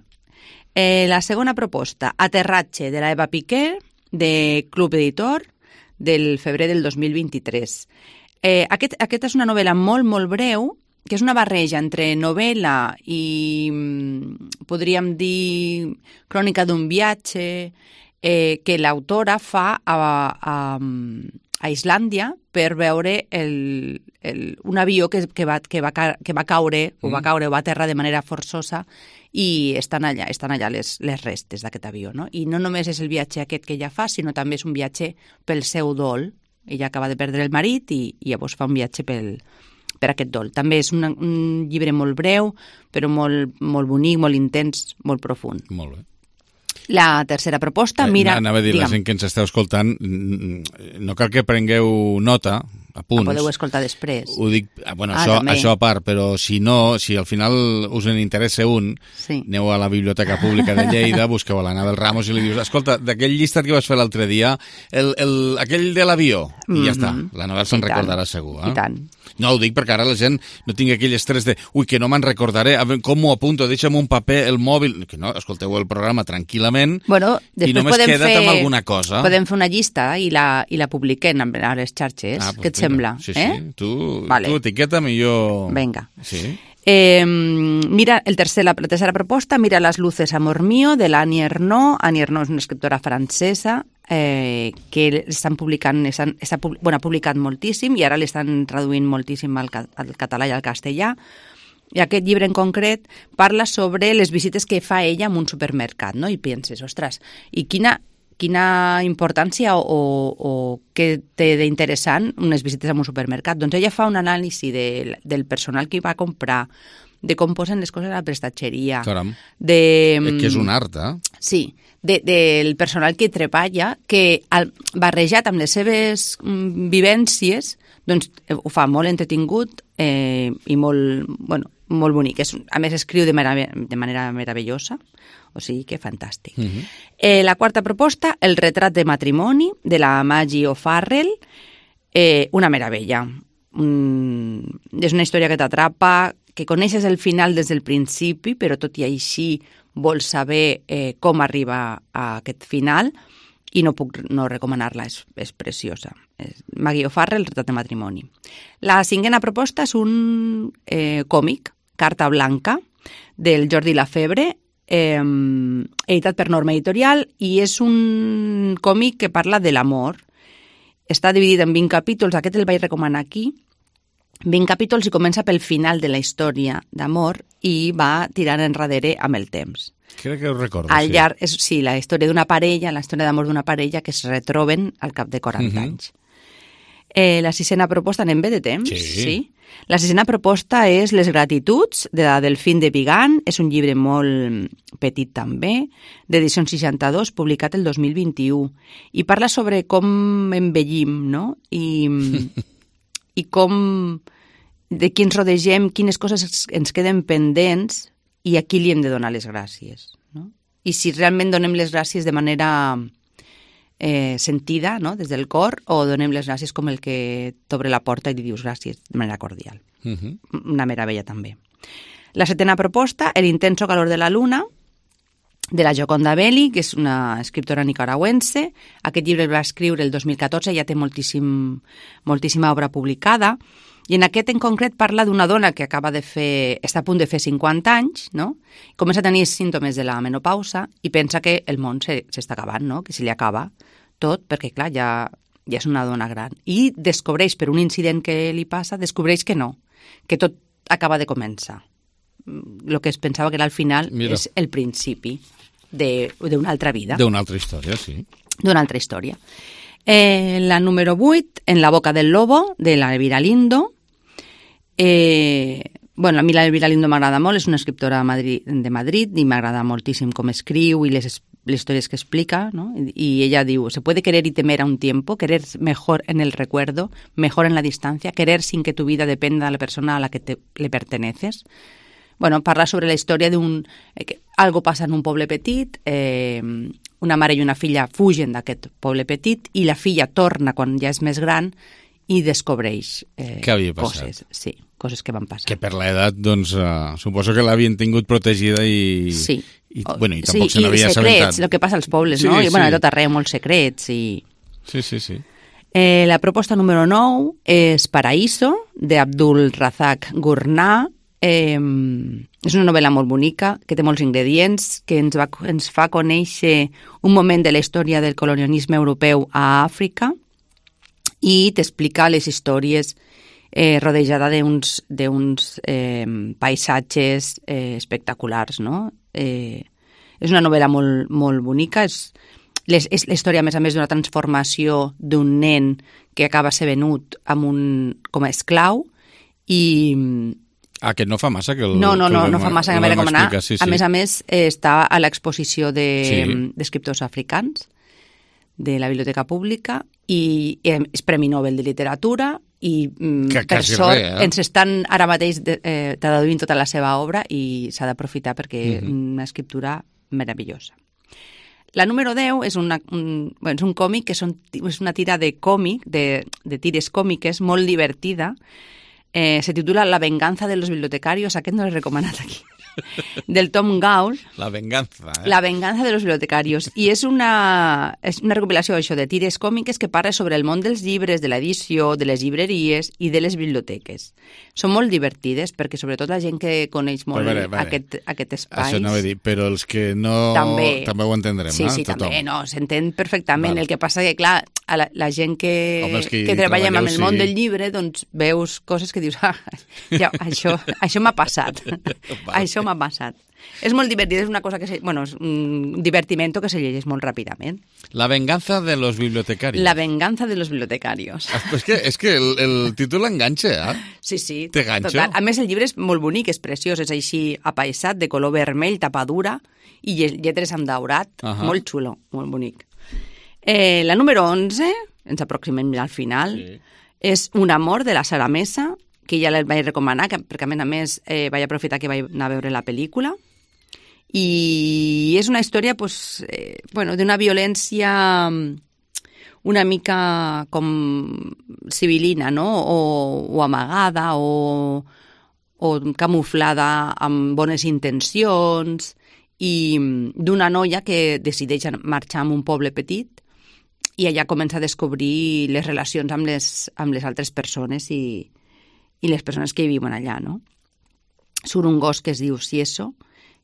Speaker 14: La segona proposta, Aterratge, de l'Eva Piqué, de Club Editor, del febrer del 2023. Aquesta és una novel·la molt, molt breu, que és una barreja entre novel·la i, podríem dir, crònica d'un viatge que l'autora fa a Islàndia per veure un avió que va caure o va aterrar de manera forçosa i estan allà les restes d'aquest avió, no? I no només és el viatge aquest que ella fa, sinó també és un viatge pel seu dol. Ella acaba de perdre el marit i llavors fa un viatge per aquest dol. També és un llibre molt breu, però molt bonic, molt intens, molt profund.
Speaker 1: Molt bé.
Speaker 14: La tercera proposta, mira...
Speaker 1: Anava a dir, la gent que ens esteu escoltant, no cal que prengueu nota, apunts.
Speaker 14: Podeu escoltar després.
Speaker 1: Ho dic, això a part, però si no, si al final us en interessa aneu a la Biblioteca Pública de Lleida, busqueu a l'Anabel Ramos i li dius, escolta, d'aquell llistat que vas fer l'altre dia, aquell de l'avió, i ja està, l'Anabel se'n recordarà segur.
Speaker 14: I tant.
Speaker 1: No, ho dic perquè ara la gent no tingui aquell estrès de que no me'n recordaré, com m'ho apunto, deixa'm un paper, el mòbil... Que no, escolteu el programa tranquil·lament i només queda't amb alguna cosa.
Speaker 14: Podem fer una llista i la publiquem a les xarxes. Què et sembla?
Speaker 1: Sí. Tu etiqueta'm i jo...
Speaker 14: Vinga.
Speaker 1: Sí.
Speaker 14: Mira, la tercera proposta, Mira las luces, amor mío, de l'Annie Ernaux. Annie Ernaux és una escriptora francesa que ha publicat moltíssim i ara l'estan traduint moltíssim al català i al castellà. I aquest llibre en concret parla sobre les visites que fa ella en un supermercat, no? I penses, ostres, i quina quina importància o què té d'interessant unes visites a un supermercat. Doncs ella fa un anàlisi del personal que va comprar, de com posen les coses a la prestatgeria.
Speaker 1: Caram, que és un art, eh?
Speaker 14: Sí, del personal que treballa, que barrejat amb les seves vivències, doncs ho fa molt entretingut i molt bonic. A més, escriu de manera meravellosa, o sigui que fantàstic. La quarta proposta, El retrat de matrimoni, de la Maggie O'Farrell, una meravella. És una història que t'atrapa, que coneixes el final des del principi, però tot i així vols saber com arriba a aquest final, i no puc no recomanar-la, és preciosa. Maggie O'Farrell, El retrat de matrimoni. La cinquena proposta és un còmic, Carta blanca, del Jordi Lafebre, editat per Norma Editorial, i és un còmic que parla de l'amor. Està dividit en 20 capítols, aquest el vaig recomanar aquí, 20 capítols, i comença pel final de la història d'amor i va tirant enrere amb el temps.
Speaker 1: Crec que ho recordo,
Speaker 14: sí. La història d'una parella, la història d'amor d'una parella que es retroben al cap de 40 anys. La sisena proposta, anem bé de temps? Sí. La sisena proposta és Les gratituds, de la Delfín de Vigan. És un llibre molt petit també, d'edició 62, publicat el 2021. I parla sobre com envellim, no? I com, de qui ens rodegem, quines coses ens queden pendents i a qui li hem de donar les gràcies, no? I si realment donem les gràcies de manera sentida, no?, des del cor, o donem les gràcies com el que t'obre la porta i li dius gràcies de manera cordial. Una meravella també. La setena proposta, El intenso calor de la luna, de la Gioconda Belli, que és una escriptora nicaragüense. Aquest llibre el va escriure el 2014, ja té moltíssima obra publicada, i en aquest en concret parla d'una dona que està a punt de fer 50 anys, no? Comença a tenir símptomes de la menopausa i pensa que el món s'està acabant, no? Que se li acaba tot, perquè clar, ja és una dona gran. I descobreix, per un incident que li passa, descobreix que no, que tot acaba de començar. El que es pensava que era el final és el principi d'una altra vida.
Speaker 1: D'una altra història, sí.
Speaker 14: D'una altra història. La número 8, En la boca del lobo, de la Elvira Lindo. A mi la Elvira Lindo m'agrada molt, és una escriptora de Madrid i m'agrada moltíssim com escriu i les historias que explica, ¿no? Y ella diu, se puede querer y temer a un tiempo, querer mejor en el recuerdo, mejor en la distancia, querer sin que tu vida dependa de la persona a la que le perteneces. Bueno, parla sobre la història algo passa en un poble petit, una mare i una filla fugen d'aquest poble petit i la filla torna quan ja és més gran i descobreix coses. Sí, coses que van passar.
Speaker 1: Que per l'edat, doncs, suposo que l'havien tingut protegida i...
Speaker 14: Sí.
Speaker 1: I tampoc se n'havia assabentat.
Speaker 14: El que passa als pobles, no? I de tot arreu, molts secrets.
Speaker 1: Sí.
Speaker 14: La proposta número 9 és Paraíso, d'Abdul Razak Gurnah. És una novel·la molt bonica, que té molts ingredients, que ens fa conèixer un moment de la història del colonialisme europeu a Àfrica i t'explica les històries rodejada d'uns paisatges espectaculars, no? És una novel·la molt bonica, és la història, a més, d'una transformació d'un nen que acaba ser venut com a esclau i...
Speaker 1: que no fa massa que
Speaker 14: No fa massa que m'he recomanar. A més, està a l'exposició d'escriptors africans de la Biblioteca Pública i és Premi Nobel de Literatura i per sort ens estan ara mateix traduint tota la seva obra i s'ha d'aprofitar perquè és una escriptura meravellosa. La número 10 és un còmic que és una tira de còmic, de tires còmiques molt divertida. Se titula La venganza de los bibliotecarios, aquest no l'he recomanat aquí, del Tom Gaul.
Speaker 1: La venganza,
Speaker 14: La venganza de los bibliotecarios. I és una recopilació de tires còmiques que parla sobre el món dels llibres, de l'edició, de les llibreries i de les biblioteques. Són molt divertides perquè sobretot la gent que coneix molt aquest espai...
Speaker 1: Això anava a dir, però els que no... També ho entendrem,
Speaker 14: sí,
Speaker 1: no?
Speaker 14: Sí, també, no, s'entén perfectament. El que passa que, clar, la gent que treballem amb el món del llibre, doncs veus coses que dius, això m'ha passat. Això m'ha passat. És molt divertit, és una cosa que és un divertimento que se llegeix molt ràpidament.
Speaker 1: La venganza de los bibliotecarios.
Speaker 14: La venganza de los bibliotecarios.
Speaker 1: És que el títol enganxa, eh?
Speaker 14: Sí.
Speaker 1: Té ganxo.
Speaker 14: Total. A més, el llibre és molt bonic, és preciós, és així apaïsat, de color vermell, tapadura, i lletres amb daurat, molt xulo, molt bonic. La número 11, ens aproximem al final, és Un amor, de la Sara Mesa, que ja la vaig recomanar, perquè a més vaig aprofitar que vaig anar a veure la pel·lícula. I és una història d'una violència una mica com civilina, no? O amagada o camuflada amb bones intencions, i d'una noia que decideix marxar a un poble petit i allà comença a descobrir les relacions amb les altres persones i les persones que hi viuen allà, no? Surt un gos que es diu Sieso,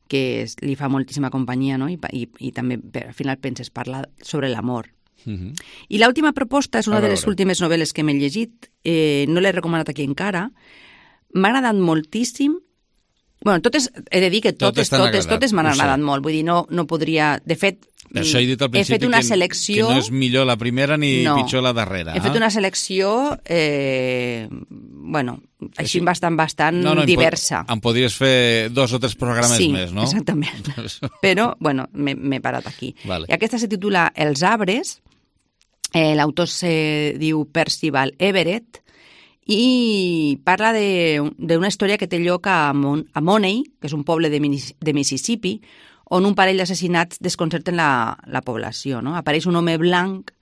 Speaker 14: que li fa moltíssima companyia, no? I també al final penses parlar sobre l'amor. I l'última proposta és una de les últimes novel·les que m'he llegit, no l'he recomanat aquí encara, m'ha agradat moltíssim. Bueno, he de dir que totes m'han agradat molt, vull dir, no podria... De fet,
Speaker 1: això he dit al principi,
Speaker 14: he fet una selecció...
Speaker 1: que no és millor la primera ni pitjor la darrera.
Speaker 14: He fet una selecció, així bastant diversa.
Speaker 1: Em podries fer 2 o 3 programes més, no?
Speaker 14: Sí, exactament. Però, m'he parat aquí. Vale. I aquesta se titula Els arbres, l'autor se diu Percival Everett, i parla d'una història que té lloc a Money, que és un poble de Mississippi, on un parell d'assassinats desconcerten la població, no? Apareix un home blanc,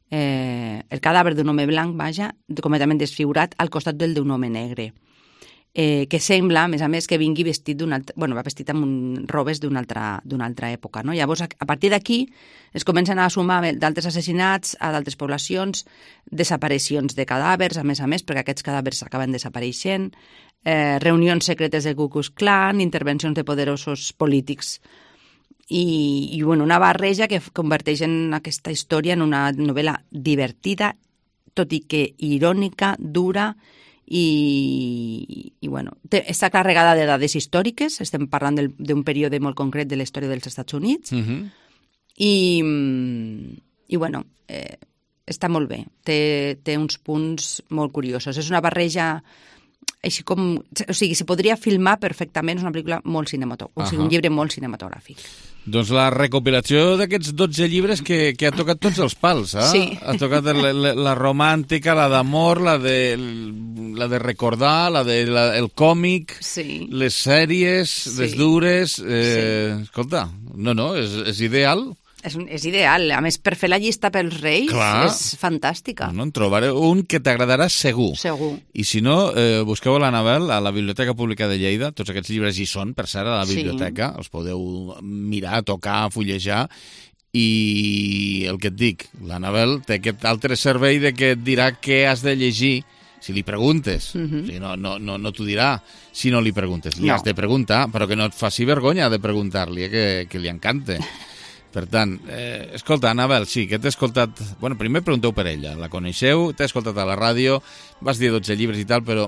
Speaker 14: el cadàver d'un home blanc, completament desfigurat, al costat d'un home negre, que sembla, a més, que vingui vestit va vestit amb robes d'una altra època, no? Llavors, a partir d'aquí, es comencen a sumar d'altres assassinats a d'altres poblacions, desaparicions de cadàvers, a més, perquè aquests cadàvers acaben desapareixent, reunions secretes del Ku Klux Klan, intervencions de poderosos polítics, i una barreja que converteix en aquesta història en una novel·la divertida, tot i que irònica, dura, i està carregada de dades històriques. Estem parlant d'un període molt concret de la història dels Estats Units, està molt bé, té uns punts molt curiosos. És una barreja així com... O sigui, se podria filmar perfectament, és una pel·lícula molt cinematogràfica, o sigui, un llibre molt cinematogràfic.
Speaker 1: Doncs la recopilació d'aquests 12 llibres que ha tocat tots els pals, eh?
Speaker 14: Sí.
Speaker 1: Ha tocat la romàntica, la d'amor, la de recordar, el còmic, les sèries, les dures... Escolta, és ideal.
Speaker 14: És ideal. A més, per fer la llista pels Reis és fantàstica.
Speaker 1: En trobaré un que t'agradarà segur.
Speaker 14: Segur.
Speaker 1: I si no, busqueu l'Anabel a la Biblioteca Pública de Lleida. Tots aquests llibres hi són, per cert, a la biblioteca. Els podeu mirar, tocar, fullejar. I el que et dic, l'Anabel té aquest altre servei de que et dirà què has de llegir si li preguntes. O sigui, no t'ho dirà si no li preguntes. Li has de preguntar, però que no et faci vergonya de preguntar-li, que li encanta. Per tant, escolta, Anabel, sí, que t'he escoltat... Bueno, primer pregunteu per ella, la coneixeu, t'he escoltat a la ràdio, vas dir 12 llibres i tal, però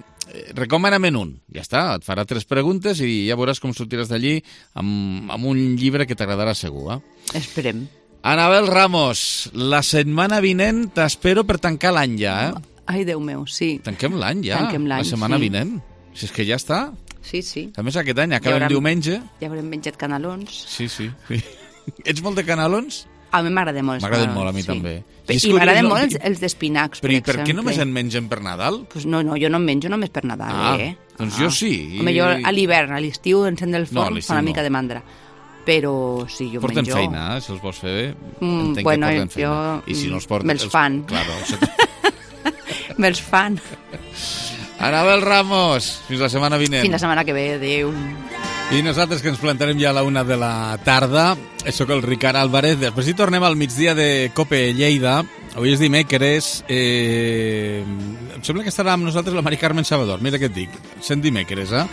Speaker 1: recomana-me'n un. Ja està, et farà 3 preguntes i ja veuràs com sortiràs d'allí amb un llibre que t'agradarà segur, eh?
Speaker 14: Esperem.
Speaker 1: Anabel Ramos, la setmana vinent t'espero per tancar l'any ja, eh?
Speaker 14: Ai, Déu meu, sí.
Speaker 1: Tanquem l'any ja,
Speaker 14: Tanquem l'any,
Speaker 1: la setmana vinent. Si és que ja està.
Speaker 14: Sí.
Speaker 1: A més, aquest any acabem diumenge.
Speaker 14: Ja haurem menjat canelons.
Speaker 1: Sí. Ets molt de canelons?
Speaker 14: A mi m'agraden molt els canelons.
Speaker 1: M'agraden molt, a mi també.
Speaker 14: I m'agraden molt els d'espinacs, per exemple.
Speaker 1: Per què només en mengen per Nadal?
Speaker 14: Pues no, jo no en menjo només per Nadal,
Speaker 1: Doncs jo sí.
Speaker 14: Home, jo a l'hivern, a l'estiu, encendre el forn, fa una mica de mandra. Però sí, jo
Speaker 1: porten
Speaker 14: menjo...
Speaker 1: Porten feina, si els vols fer bé, entenc que porten feina. I si no els porten...
Speaker 14: Me'ls fan. Me'ls fan.
Speaker 1: Anabel Ramos, fins la setmana vinent.
Speaker 14: Fins la setmana que ve, adéu.
Speaker 1: I nosaltres que ens plantarem ja a la 1 de la tarda. Soc el Ricard Álvarez. Després hi tornem al migdia de COPE Lleida. Avui és dimecres. Em sembla que estarà amb nosaltres la Mari Carmen Salvador. Mira què et dic. Sent dimecres, eh?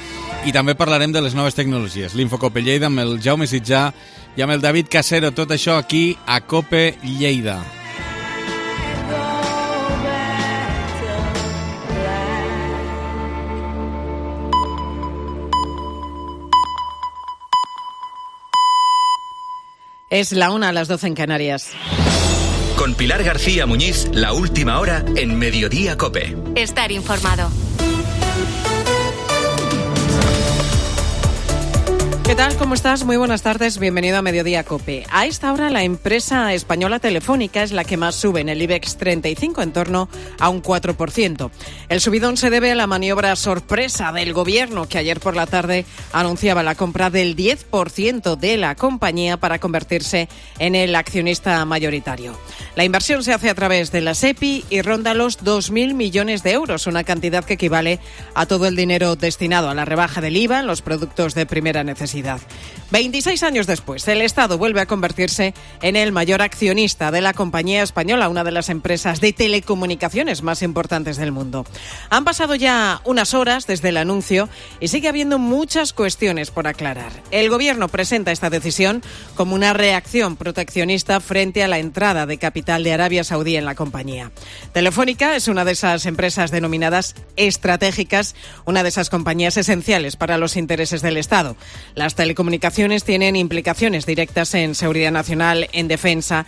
Speaker 1: I també parlarem de les noves tecnologies. L'Infocope Lleida amb el Jaume Sitjà i amb el David Casero. Tot això aquí a COPE Lleida.
Speaker 15: Es la 1 a las 12 en Canarias.
Speaker 10: Con Pilar García Muñiz, la última hora en Mediodía COPE.
Speaker 9: Estar informado.
Speaker 15: ¿Qué tal? ¿Cómo estás? Muy buenas tardes. Bienvenido a Mediodía COPE. A esta hora la empresa española Telefónica es la que más sube en el IBEX 35, en torno a un 4%. El subidón se debe a la maniobra sorpresa del gobierno, que ayer por la tarde anunciaba la compra del 10% de la compañía para convertirse en el accionista mayoritario. La inversión se hace a través de la SEPI y ronda los 2.000 millones de euros, una cantidad que equivale a todo el dinero destinado a la rebaja del IVA en los productos de primera necesidad. 26 años después, el Estado vuelve a convertirse en el mayor accionista de la compañía española, una de las empresas de telecomunicaciones más importantes del mundo. Han pasado ya unas horas desde el anuncio y sigue habiendo muchas cuestiones por aclarar. El Gobierno presenta esta decisión como una reacción proteccionista frente a la entrada de capital de Arabia Saudí en la compañía. Telefónica es una de esas empresas denominadas estratégicas, una de esas compañías esenciales para los intereses del Estado. Las telecomunicaciones tienen implicaciones directas en seguridad nacional, en defensa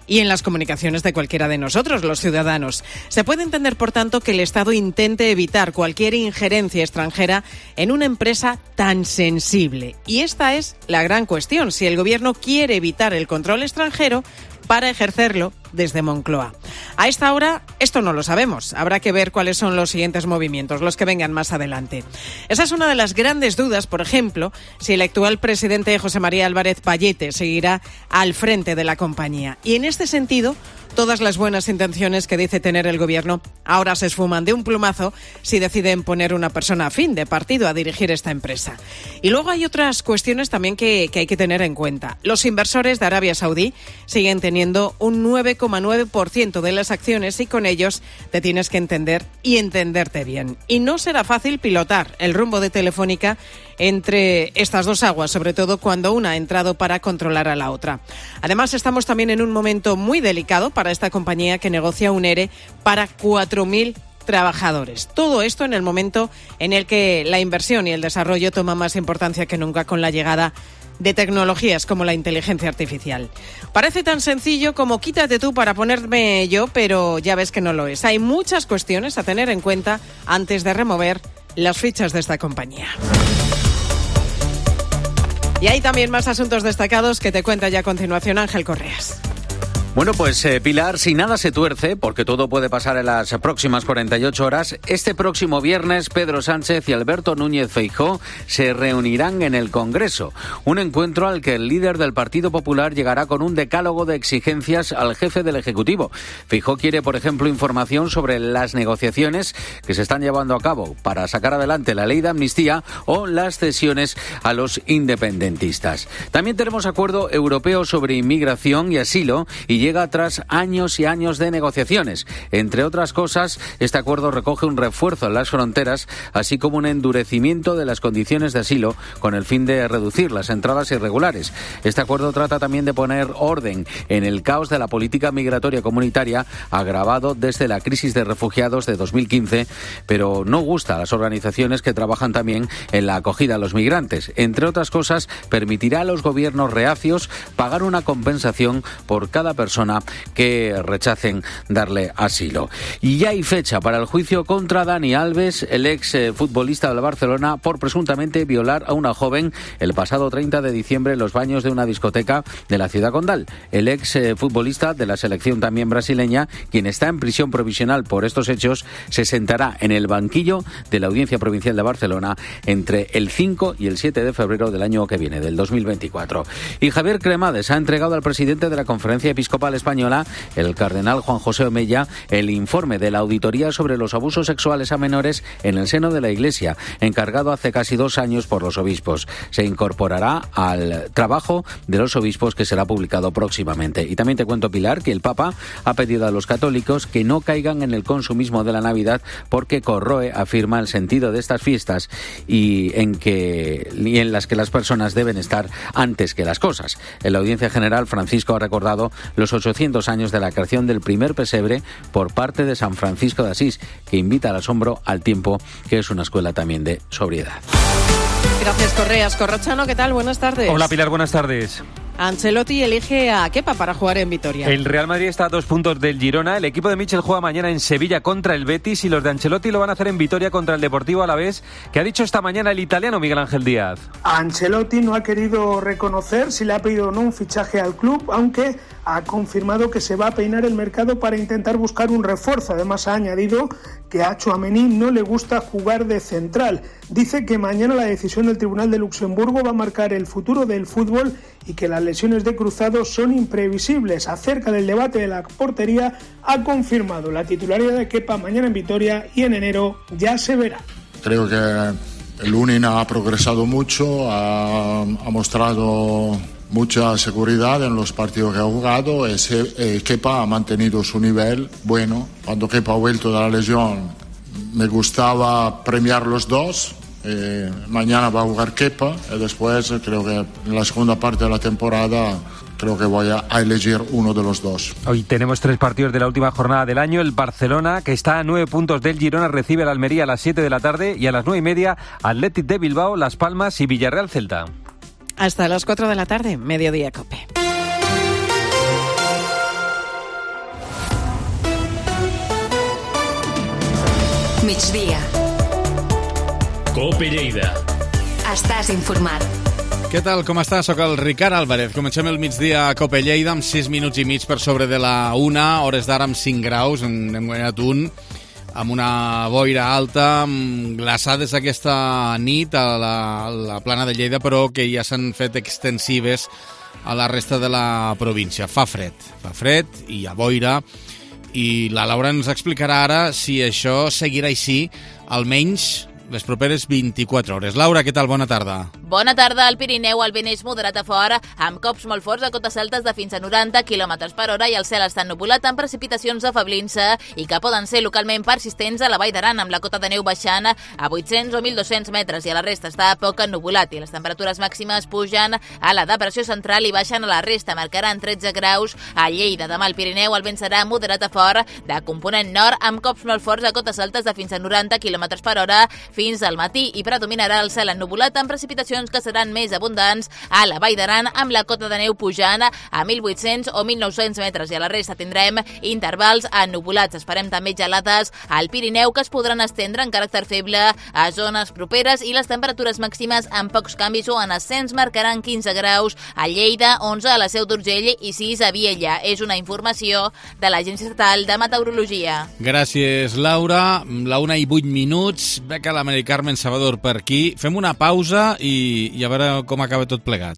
Speaker 15: y en las comunicaciones de cualquiera de nosotros, los ciudadanos. Se puede entender, por tanto, que el Estado intente evitar cualquier injerencia extranjera en una empresa tan sensible. Y esta es la gran cuestión, si el Gobierno quiere evitar el control extranjero para ejercerlo desde Moncloa. A esta hora, esto no lo sabemos. Habrá que ver cuáles son los siguientes movimientos, los que vengan más adelante. Esa es una de las grandes dudas, por ejemplo, si el actual presidente José María Álvarez Pallete seguirá al frente de la compañía. Y en este sentido, todas las buenas intenciones que dice tener el Gobierno ahora se esfuman de un plumazo si deciden poner una persona afín de partido a dirigir esta empresa. Y luego hay otras cuestiones también que hay que tener en cuenta. Los inversores de Arabia Saudí siguen teniendo un 9,9% de las acciones y con ellos te tienes que entender y entenderte bien. Y no será fácil pilotar el rumbo de Telefónica entre estas dos aguas, sobre todo cuando una ha entrado para controlar a la otra. Además, estamos también en un momento muy delicado para esta compañía que negocia un ERE para 4.000 trabajadores. Todo esto en el momento en el que la inversión y el desarrollo toman más importancia que nunca con la llegada de tecnologías como la inteligencia artificial. Parece tan sencillo como quítate tú para ponerme yo, pero ya ves que no lo es. Hay muchas cuestiones a tener en cuenta antes de remover las fichas de esta compañía. Y hay también más asuntos destacados que te cuenta ya a continuación Ángel Correas.
Speaker 16: Bueno, pues Pilar, si nada se tuerce, porque todo puede pasar en las próximas 48 horas, este próximo viernes Pedro Sánchez y Alberto Núñez Feijóo se reunirán en el Congreso. Un encuentro al que el líder del Partido Popular llegará con un decálogo de exigencias al jefe del Ejecutivo. Feijóo quiere, por ejemplo, información sobre las negociaciones que se están llevando a cabo para sacar adelante la ley de amnistía o las cesiones a los independentistas. También tenemos acuerdo europeo sobre inmigración y asilo y llega tras años y años de negociaciones. Entre otras cosas, este acuerdo recoge un refuerzo en las fronteras, así como un endurecimiento de las condiciones de asilo con el fin de reducir las entradas irregulares. Este acuerdo trata también de poner orden en el caos de la política migratoria comunitaria, agravado desde la crisis de refugiados de 2015, pero no gusta a las organizaciones que trabajan también en la acogida a los migrantes. Entre otras cosas, permitirá a los gobiernos reacios pagar una compensación por cada persona que rechacen darle asilo. Y ya hay fecha para el juicio contra Dani Alves, el ex futbolista del Barcelona, por presuntamente violar a una joven el pasado 30 de diciembre en los baños de una discoteca de la ciudad condal. El ex futbolista de la selección también brasileña, quien está en prisión provisional por estos hechos, se sentará en el banquillo de la Audiencia Provincial de Barcelona entre el 5 y el 7 de febrero del año que viene, del 2024. Y Javier Cremades ha entregado al presidente de la Conferencia Episcopal Española, el cardenal Juan José Omeya, el informe de la auditoría sobre los abusos sexuales a menores en el seno de la Iglesia, encargado hace casi 2 años por los obispos. Se incorporará al trabajo de los obispos que será publicado próximamente. Y también te cuento, Pilar, que el Papa ha pedido a los católicos que no caigan en el consumismo de la Navidad porque corroe, afirma, el sentido de estas fiestas y en las que las personas deben estar antes que las cosas. En la Audiencia General, Francisco ha recordado los 800 años de la creación del primer pesebre por parte de San Francisco de Asís, que invita al asombro al tiempo, que es una escuela también de sobriedad.
Speaker 15: Gracias, Correas. Corrochano, ¿qué tal? Buenas tardes.
Speaker 17: Hola, Pilar, buenas tardes.
Speaker 15: Ancelotti elige a Kepa para jugar en Vitoria.
Speaker 17: El Real Madrid está a 2 puntos del Girona. El equipo de Michel juega mañana en Sevilla contra el Betis y los de Ancelotti lo van a hacer en Vitoria contra el Deportivo Alavés. ¿Qué ha dicho esta mañana el italiano Miguel Ángel Díaz?
Speaker 18: Ancelotti no ha querido reconocer si le ha pedido o no un fichaje al club, aunque ha confirmado que se va a peinar el mercado para intentar buscar un refuerzo. Además ha añadido que a Tchouaméni no le gusta jugar de central. Dice que mañana la decisión del Tribunal de Luxemburgo va a marcar el futuro del fútbol y que las lesiones de Cruzado son imprevisibles. Acerca del debate de la portería, ha confirmado la titularidad de Kepa mañana en Vitoria y en enero ya se verá.
Speaker 19: Creo que el Lunin ha progresado mucho, ha mostrado mucha seguridad en los partidos que ha jugado. Kepa ha mantenido su nivel bueno. Cuando Kepa ha vuelto de la lesión, me gustaba premiar los dos. Mañana va a jugar Kepa y después creo que en la segunda parte de la temporada creo que voy a elegir uno de los dos.
Speaker 17: Hoy tenemos 3 partidos de la última jornada del año. El Barcelona, que está a 9 puntos del Girona, recibe al Almería a las 7 de la tarde y a las 9:30 Athletic de Bilbao, Las Palmas y Villarreal Celta.
Speaker 15: Hasta las 4 de la tarde, Mediodía Cope.
Speaker 2: Migdia. Cope Lleida. Estàs informat.
Speaker 1: Què tal, com estàs? Soc el Ricard Álvarez. Comencem el migdia a Cope Lleida amb 6 minuts i mig per sobre de la 1, hores d'ara amb 5 graus, n'hem guanyat un, amb una boira alta, amb glaçades aquesta nit a la plana de Lleida, però que ja s'han fet extensives a la resta de la província. Fa fred i hi ha boira, i la Laura ens explicarà ara si això seguirà així, almenys les properes 24 hores. Laura, què tal? Bona tarda.
Speaker 3: Bona tarda. Al Pirineu el vent és moderat a fora, amb cops molt forts a cotes altes de fins a 90 km per hora i el cel està ennubulat amb precipitacions afeblint-se i que poden ser localment persistents a la Vall d'Aran, amb la cota de neu baixant a 800 o 1.200 metres i a la resta està poc ennubulat i les temperatures màximes pugen a la depressió central i baixen a la resta, marcaran 13 graus a Lleida. Demà al Pirineu el vent serà moderat a fort de component nord amb cops molt forts a cotes altes de fins a 90 km per hora fins al matí i predominarà el cel ennubulat amb precipitacions que seran més abundants a la Vall d'Aran amb la cota de neu pujant a 1.800 o 1.900 metres i a la resta tindrem intervals ennubulats. Esperem també gelades al Pirineu que es podran estendre en caràcter feble a zones properes i les temperatures màximes amb pocs canvis o en ascens marcaran 15 graus a Lleida, 11 a la Seu d'Urgell i 6 a Viella. És una informació de l'Agència Estatal de Meteorologia.
Speaker 1: Gràcies, Laura. La 1:08. Beca l'Amèrica Carmen Salvador per aquí. Fem una pausa i a veure com acaba tot plegat.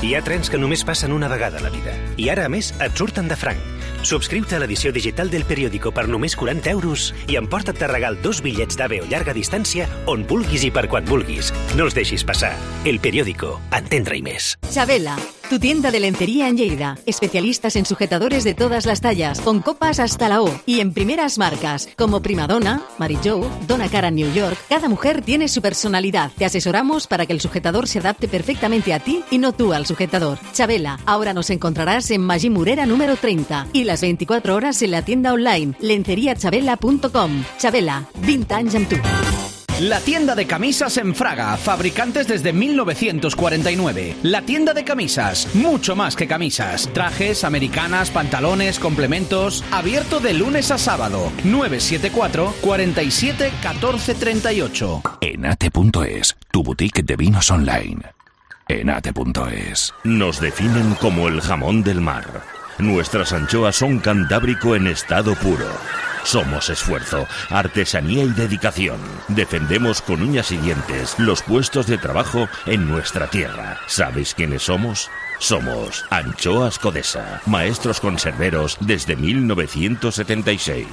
Speaker 20: Hi ha trens que només passen una vegada a la vida i ara, a més, et surten de franc. Subscriu-te a l'edició digital del Periódico per només 40 euros i emporta't de regal 2 bitllets d'AVE o llarga distància on vulguis i per quan vulguis. No els deixis passar. El Periódico. Entendre-hi més.
Speaker 21: Chabela, tu tienda de lencería en Lleida. Especialistas en sujetadores de todas las tallas, con copas hasta la O y en primeras marcas, como Primadonna, Mary Jo, Donna Cara New York. Cada mujer tiene su personalidad. Te asesoramos para que el sujetador se adapte perfectamente a ti y no tú al sujetador. Chabela, ahora nos encontrarás en Magí Morera número 30 y las 24 horas en la tienda online lenceriachabela.com. Chabela, 20 anys amb tu.
Speaker 22: La tienda de camisas en Fraga, fabricantes desde 1949. La tienda de camisas, mucho más que camisas. Trajes, americanas, pantalones, complementos. Abierto de lunes a sábado. 974 47 14 38.
Speaker 23: Enate.es, tu boutique de vinos online. Enate.es.
Speaker 24: Nos definen como el jamón del mar. Nuestras anchoas son cantábrico en estado puro. Somos esfuerzo, artesanía y dedicación. Defendemos con uñas y dientes los puestos de trabajo en nuestra tierra. ¿Sabéis quiénes somos? Somos Anchoas Codesa, maestros conserveros desde 1976.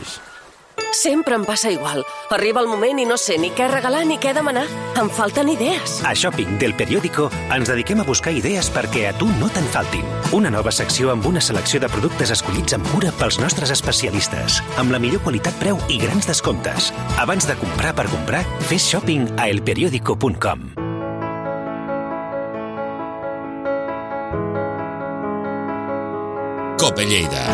Speaker 25: Sempre em passa igual. Arriba el moment i no sé ni què regalar ni què demanar. Em falten idees.
Speaker 20: A Shopping del Periódico ens dediquem a buscar idees perquè a tu no te'n faltin. Una nova secció amb una selecció de productes escollits amb cura pels nostres especialistes, amb la millor qualitat-preu i grans descomptes. Abans de comprar per comprar, fes shopping a elperiódico.com.
Speaker 1: Cope Lleida.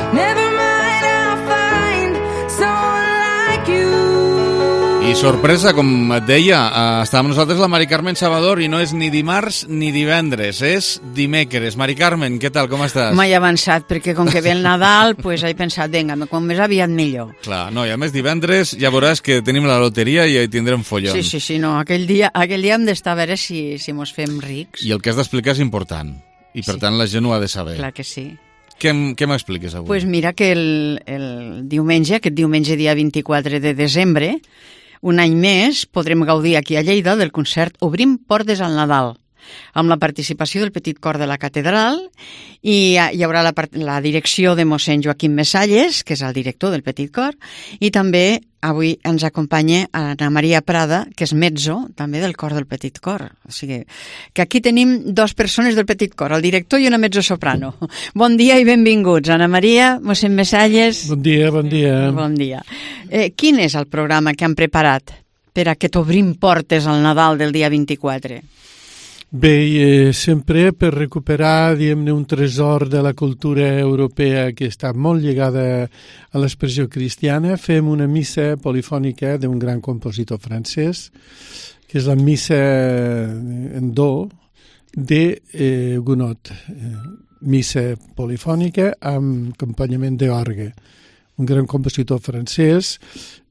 Speaker 1: I sorpresa, com et deia, està amb nosaltres la Mari Carmen Salvador i no és ni dimarts ni divendres, és dimecres. Mari Carmen, què tal, com estàs?
Speaker 4: M'he avançat, perquè com que ve el Nadal, pues he pensat, vinga, com més aviat millor.
Speaker 1: Clar, no, i a més divendres ja veuràs que tenim la loteria i hi tindrem follons.
Speaker 4: Sí, no, aquell dia hem d'estar a veure si mos fem rics.
Speaker 1: I el que has d'explicar és important, i per tant la gent ho ha de saber.
Speaker 4: Clar que sí.
Speaker 1: Què m'expliques avui?
Speaker 4: Pues mira que el diumenge, aquest diumenge dia 24 de desembre, un any més podrem gaudir aquí a Lleida del concert Obrim Portes al Nadal, amb la participació del Petit Cor de la Catedral, i hi haurà la direcció de mossèn Joaquim Messalles, que és el director del Petit Cor, i també avui ens acompanya Ana Maria Prada, que és mezzo també del cor del Petit Cor. O sigui, que aquí tenim dues persones del Petit Cor, el director i una mezzosoprano. Bon dia i benvinguts, Ana Maria, mossèn Messalles.
Speaker 5: Bon dia, bon dia.
Speaker 4: Bon dia. Quin és el programa que han preparat per aquest Obrim Portes al Nadal del dia 24?
Speaker 5: Bé, sempre per recuperar, diguem-ne, un tresor de la cultura europea que està molt lligada a l'expressió cristiana, fem una missa polifònica d'un gran compositor francès, que és la missa en do de Gounod. Missa polifònica amb acompanyament d'orgue. Un gran compositor francès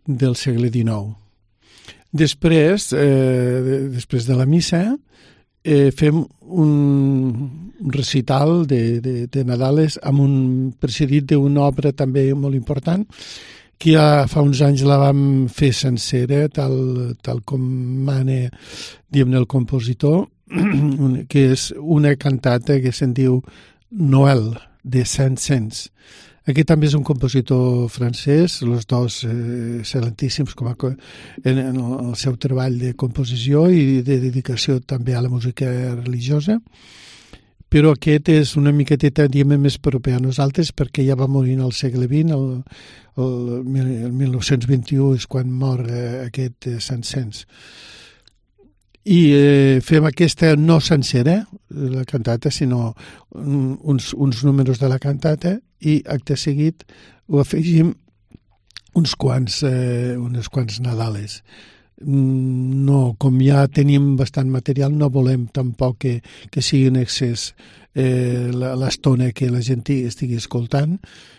Speaker 5: del segle XIX. Després de la missa, fem un recital de Nadales precedit d'una obra també molt important que ja fa uns anys la vam fer sencera, tal com mana, diguem-ne, el compositor, que és una cantata que se'n diu Noël, de Saint-Saëns. Aquest també és un compositor francès, els dos excel·lentíssims en el seu treball de composició i de dedicació també a la música religiosa, però aquest és una miqueteta, diguem, més proper a nosaltres perquè ja va morir al segle XX, el 1921 és quan mor aquest Saint-Saëns. I fem aquesta no sencera, la cantata, sinó uns números de la cantata, i acte seguit ho afegim uns quants Nadales. No, com ja tenim bastant material, no volem tampoc que sigui un excés l'estona que la gent estigui escoltant,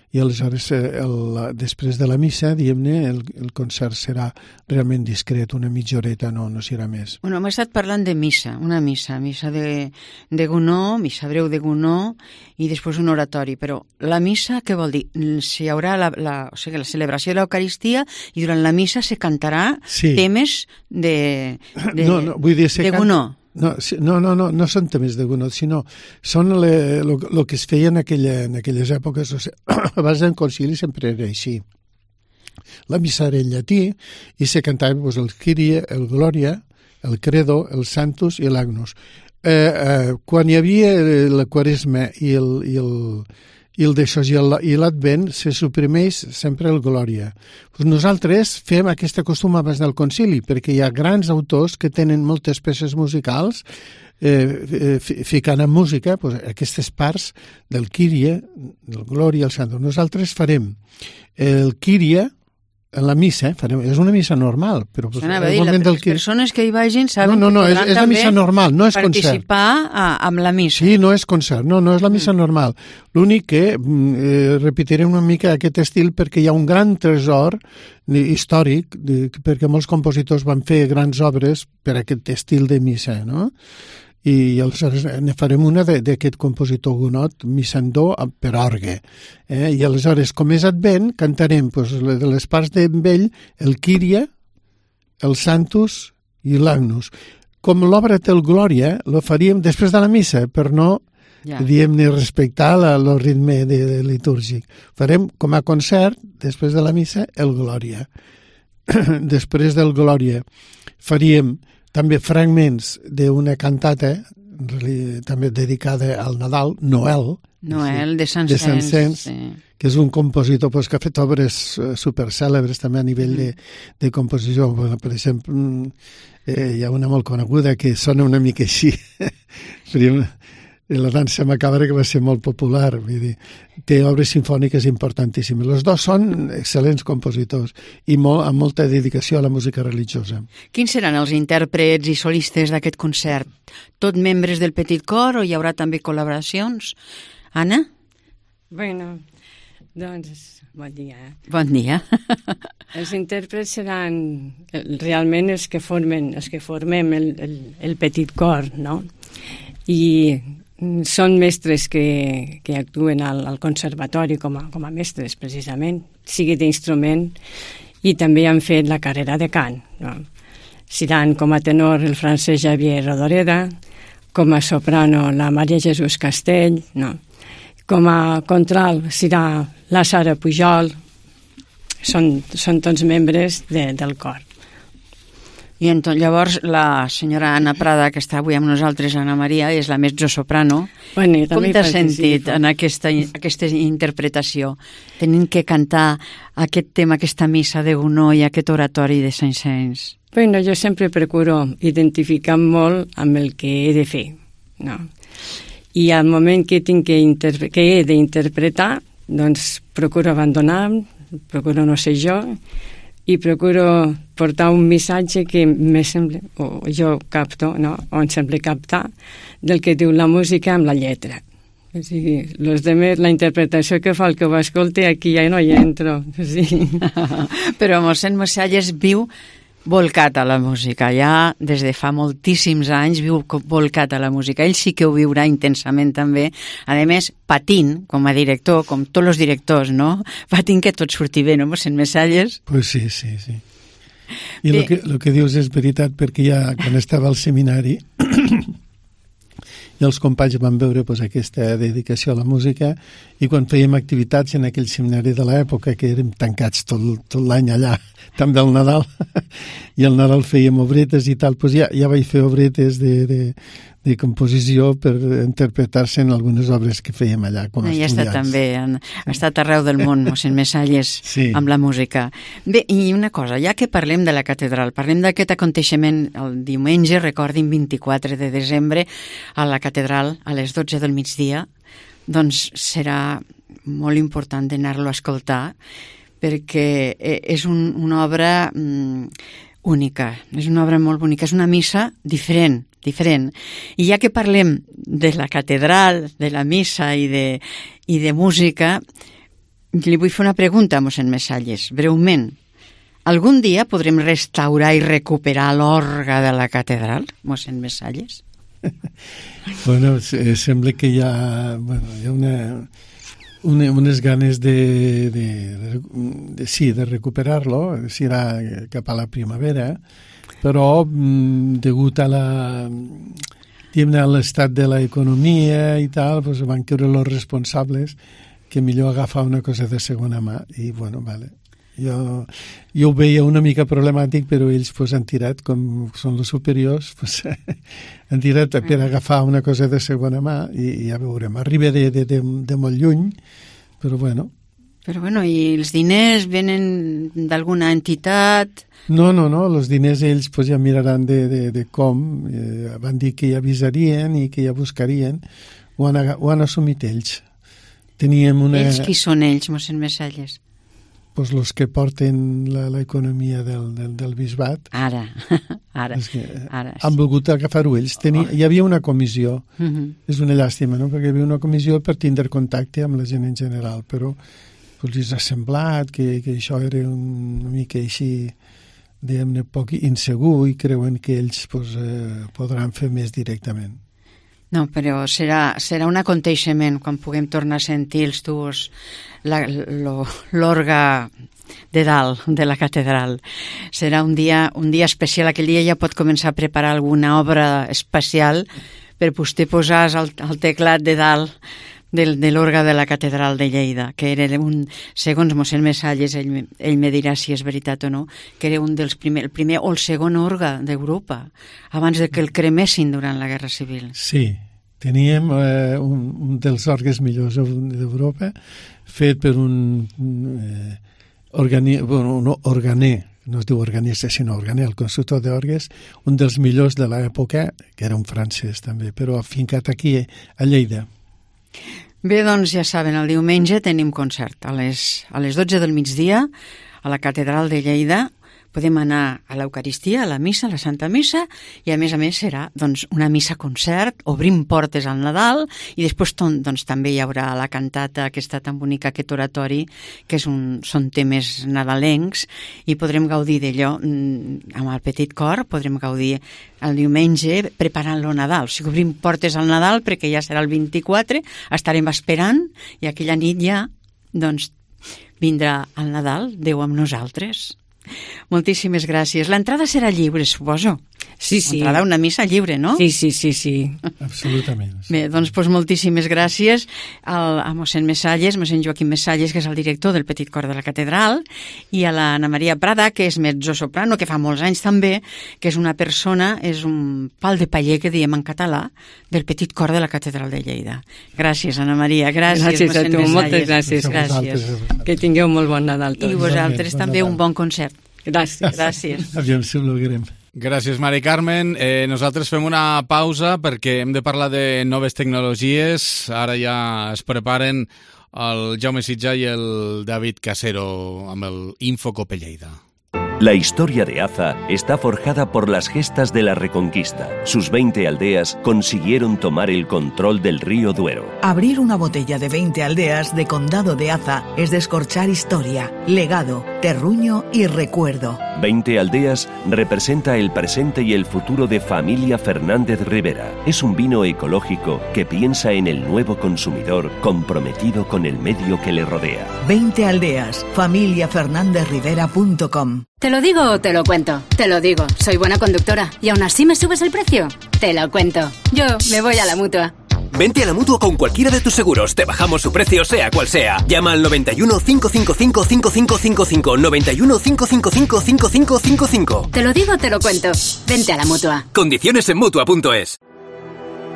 Speaker 5: i aleshores després de la missa, diguem-ne, el concert serà realment discret, una mitja horeta, no serà més.
Speaker 4: Bueno, hem estat parlant de missa, una missa de Gounod, missa breu de Gounod, i després un oratori, però la missa què vol dir? Si hi haurà la celebració de l'Eucaristia i durant la missa se cantarà temes de Gounod.
Speaker 5: No són temes de Gounod, sinó són el que es feia en aquelles èpoques. O sigui, abans del concili sempre era així. La missa era en llatí i se cantava el Kyrie, el Gloria, el Credo, el Sanctus i l'Agnus. Quan hi havia la Quaresma i l'Advent, se suprimeix sempre el Glòria. Nosaltres fem aquesta costum abans del concili, perquè hi ha grans autors que tenen moltes peces musicals ficant en música aquestes parts del Kyrie, del Glòria, el Santo. Nosaltres farem el Kyrie en la missa, és una missa normal, però
Speaker 4: les persones que hi vagin saben
Speaker 5: que podran és la missa normal, no és
Speaker 4: participar amb la missa.
Speaker 5: Sí, no és concert, no és la missa normal. L'únic que repetirem una mica aquest estil perquè hi ha un gran tresor històric, perquè molts compositors van fer grans obres per aquest estil de missa, no? I aleshores ne farem una d'aquest compositor Gounod, missa en do per orgue. I aleshores, com és Advent, cantarem de les parts d'en vell el Kyrie, el Sanctus i l'Agnus. Com l'obra té el Glòria, lo faríem després de la missa, per no, diguem-ne, respectar el ritme litúrgic. Farem com a concert, després de la missa, el Glòria. Després del Glòria faríem també fragments d'una cantata també dedicada al Nadal, Noël
Speaker 4: de Saint-Saëns,
Speaker 5: que és un compositor que ha fet obres supercèlebres també a nivell de composició. Per exemple, hi ha una molt coneguda que sona una mica així. la dansa macabra, que va ser molt popular. Vull dir, té obres simfòniques importantíssimes. Els dos són excel·lents compositors i amb molta dedicació a la música religiosa.
Speaker 4: Quins seran els intèrprets i solistes d'aquest concert? Tot membres del Petit Cor o hi haurà també col·laboracions? Anna?
Speaker 6: Bueno, doncs, bon dia.
Speaker 4: Bon dia.
Speaker 6: Els intèrprets seran realment els que formem el Petit Cor, no? I són mestres que actuen al conservatori com a mestres, precisament, sigui d'instrument, i també han fet la carrera de cant. No? Seran com a tenor el francès Xavier Rodoreda, com a soprano la Maria Jesús Castell, no? Com a contralt serà la Sara Pujol. Són tots membres del cor.
Speaker 4: I llavors la senyora Anna Prada, que està avui amb nosaltres, Anna Maria, és la mezzosoprano.
Speaker 6: Bueno,
Speaker 4: com t'has sentit en aquesta interpretació? Tenint que cantar aquest tema, aquesta missa de Gounod i aquest oratori de Saint-Saëns.
Speaker 6: Bueno, jo sempre procuro identificar molt amb el que he de fer, no? I al moment que he d'interpretar, doncs procuro abandonar, procuro no ser jo, i procuro portar un missatge que me sembla, o jo capto, no? O em sembla captar, del que diu la música amb la lletra. O sigui, los demés, la interpretació que fa el que ho escolti, aquí ja no hi entro. Sí.
Speaker 4: Però mossèn Messalles viu volcat a la música, ja des de fa moltíssims anys viu volcat a la música. Ell sí que ho viurà intensament també, a més patint com a director, com tots els directors, no? Patint que tot surti bé, no, mossèn Messalles?
Speaker 5: Pues sí. I el que dius és veritat, perquè ja quan estava al seminari i els companys van veure aquesta dedicació a la música, i quan fèiem activitats en aquell seminari de l'època, que érem tancats tot l'any allà, també al Nadal, i al Nadal fèiem obretes i tal, doncs ja vaig fer obretes de composició per interpretar-se en algunes obres que fèiem allà com a estudiants.
Speaker 4: Ja està també, ha estat arreu del món, mossèn Messalles, sí, amb la música. Bé, i una cosa, ja que parlem de la catedral, parlem d'aquest aconteixement el diumenge, recordin, 24 de desembre, a la catedral, a les 12 del migdia, doncs serà molt important d'anar-lo a escoltar, perquè és una obra única, és una obra molt bonica, és una missa diferent. I ja que parlem de la catedral, de la missa i de música, li vull fer una pregunta a mossèn Messalles, breument. Algun dia podrem restaurar i recuperar l'orgue de la catedral, mossèn Messalles?
Speaker 5: Bueno, sembla que hi ha unes ganes de recuperar-lo, serà cap a la primavera, però degut a l'estat de l'economia i tal, doncs van creure els responsables que millor agafar una cosa de segona mà, i bueno, vale. Jo ho veia una mica problemàtic, però ells han tirat, com són els superiors, han tirat per agafar una cosa de segona mà, i ja veurem. Arriba de molt lluny, però bueno.
Speaker 4: Però bueno, i els diners venen d'alguna entitat?
Speaker 5: No, els diners ells ja miraran de com. Van dir que ja avisarien i que ja buscarien. Ho han assumit ells.
Speaker 4: Ells qui són ells, mossèn Messalles?
Speaker 5: Pues los que porten l'economia del bisbat.
Speaker 4: Ara.
Speaker 5: Han volgut agafar-ho ells. Hi havia una comissió. És una llàstima, no? Perquè hi havia una comissió per tindre contacte amb la gent en general, però els ha semblat que això era una mica així, diguem-ne, poc insegur, i creuen que ells podran fer més directament.
Speaker 4: No, però serà un aconteixement quan puguem tornar a sentir els tuors, l'orgue de dalt de la catedral. Serà un dia especial. Aquell dia ja pot començar a preparar alguna obra especial per vostè posar al teclat de dalt de l'orgue de la catedral de Lleida, que era segons mossèn Messalles, ell me dirà si és veritat o no, que era el primer o el segon orgue d'Europa, abans de que el cremessin durant la Guerra Civil.
Speaker 5: Sí, teníem un dels orgues millors d'Europa, fet per un organer, no es diu organista, sinó organer, el constructor d'orgues, un dels millors de l'època, que era un francès també, però afincat aquí a Lleida.
Speaker 4: Bé, doncs ja saben, el diumenge tenim concert a les 12 del migdia a la Catedral de Lleida. Podem anar a l'Eucaristia, a la missa, a la Santa Missa, i a més serà doncs, una missa-concert, obrim portes al Nadal, i després doncs, també hi haurà la cantata aquesta tan bonica, aquest oratori, que són temes nadalencs, i podrem gaudir d'allò amb el petit cor, podrem gaudir el diumenge preparant-lo Nadal. O sigui, obrim portes al Nadal perquè ja serà el 24, estarem esperant, i aquella nit ja doncs, vindrà el Nadal, Déu amb nosaltres. Moltíssimes gràcies. L'entrada serà lliure, suposo.
Speaker 6: Sí.
Speaker 4: L'entrada a una missa lliure, no?
Speaker 6: Sí.
Speaker 5: Absolutament.
Speaker 4: Bé, doncs moltíssimes gràcies a mossèn Messalles, mossèn Joaquim Messalles, que és el director del Petit Cor de la Catedral, i a l'Anna Maria Prada, que és mezzosoprano, que fa molts anys també, que és una persona, és un pal de paller, que diem en català, del Petit Cor de la Catedral de Lleida. Gràcies, Anna Maria. Gràcies
Speaker 6: a tu, moltes gràcies. Que tingueu molt bon Nadal tots.
Speaker 4: I vosaltres també un bon concert.
Speaker 6: Gràcies.
Speaker 5: Aviam si ho logrem.
Speaker 1: Gràcies, Mari Carmen. Nosaltres fem una pausa perquè hem de parlar de noves tecnologies. Ara ja es preparen el Jaume Sitjà i el David Casero amb el Infocope Lleida.
Speaker 7: La historia de Aza está forjada por las gestas de la Reconquista. Sus 20 aldeas consiguieron tomar el control del río Duero.
Speaker 8: Abrir una botella de 20 aldeas de Condado de Aza es descorchar historia, legado, terruño y recuerdo.
Speaker 7: 20 aldeas representa el presente y el futuro de Familia Fernández Rivera. Es un vino ecológico que piensa en el nuevo consumidor comprometido con el medio que le rodea.
Speaker 8: 20 aldeas, familiafernandezrivera.com.
Speaker 11: ¿Te lo digo o te lo cuento? Te lo digo, soy buena conductora. ¿Y aún así me subes el precio? Te lo cuento. Yo me voy a la Mutua.
Speaker 12: Vente a la Mutua con cualquiera de tus seguros. Te bajamos su precio, sea cual sea. Llama al 91 555 5555. 91 555 5555.
Speaker 11: Te lo digo o te lo cuento. Vente a la Mutua.
Speaker 12: Condiciones en Mutua.es.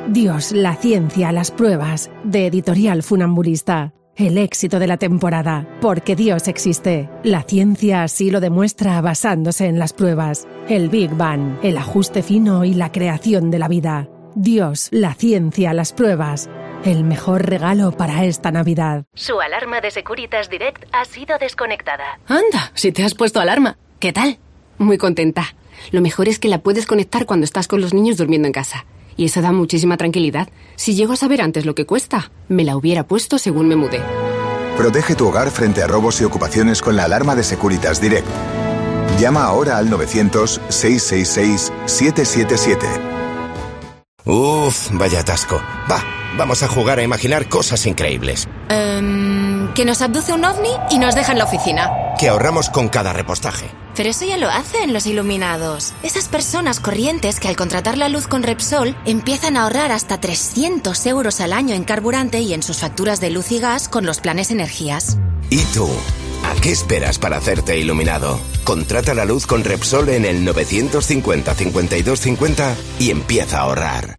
Speaker 13: Dios, la ciencia, las pruebas. De Editorial Funambulista. El éxito de la temporada, porque Dios existe. La ciencia así lo demuestra basándose en las pruebas. El Big Bang, el ajuste fino y la creación de la vida. Dios, la ciencia, las pruebas. El mejor regalo para esta Navidad.
Speaker 9: Su alarma de Securitas Direct ha sido desconectada.
Speaker 11: Anda, si te has puesto alarma. ¿Qué tal? Muy contenta. Lo mejor es que la puedes conectar cuando estás con los niños durmiendo en casa. Y eso da muchísima tranquilidad. Si llego a saber antes lo que cuesta, me la hubiera puesto según me mudé.
Speaker 26: Protege tu hogar frente a robos y ocupaciones con la alarma de Securitas Direct. Llama ahora al 900-666-777.
Speaker 27: Uf, vaya atasco. Vamos a jugar a imaginar cosas increíbles.
Speaker 11: Que nos abduce un ovni y nos deja en la oficina.
Speaker 27: Que ahorramos con cada repostaje.
Speaker 11: Pero eso ya lo hacen los iluminados. Esas personas corrientes que al contratar la luz con Repsol empiezan a ahorrar hasta 300 euros al año en carburante y en sus facturas de luz y gas con los planes energías.
Speaker 27: ¿Y tú? ¿A qué esperas para hacerte iluminado? Contrata la luz con Repsol en el 950 52 50 y empieza a ahorrar.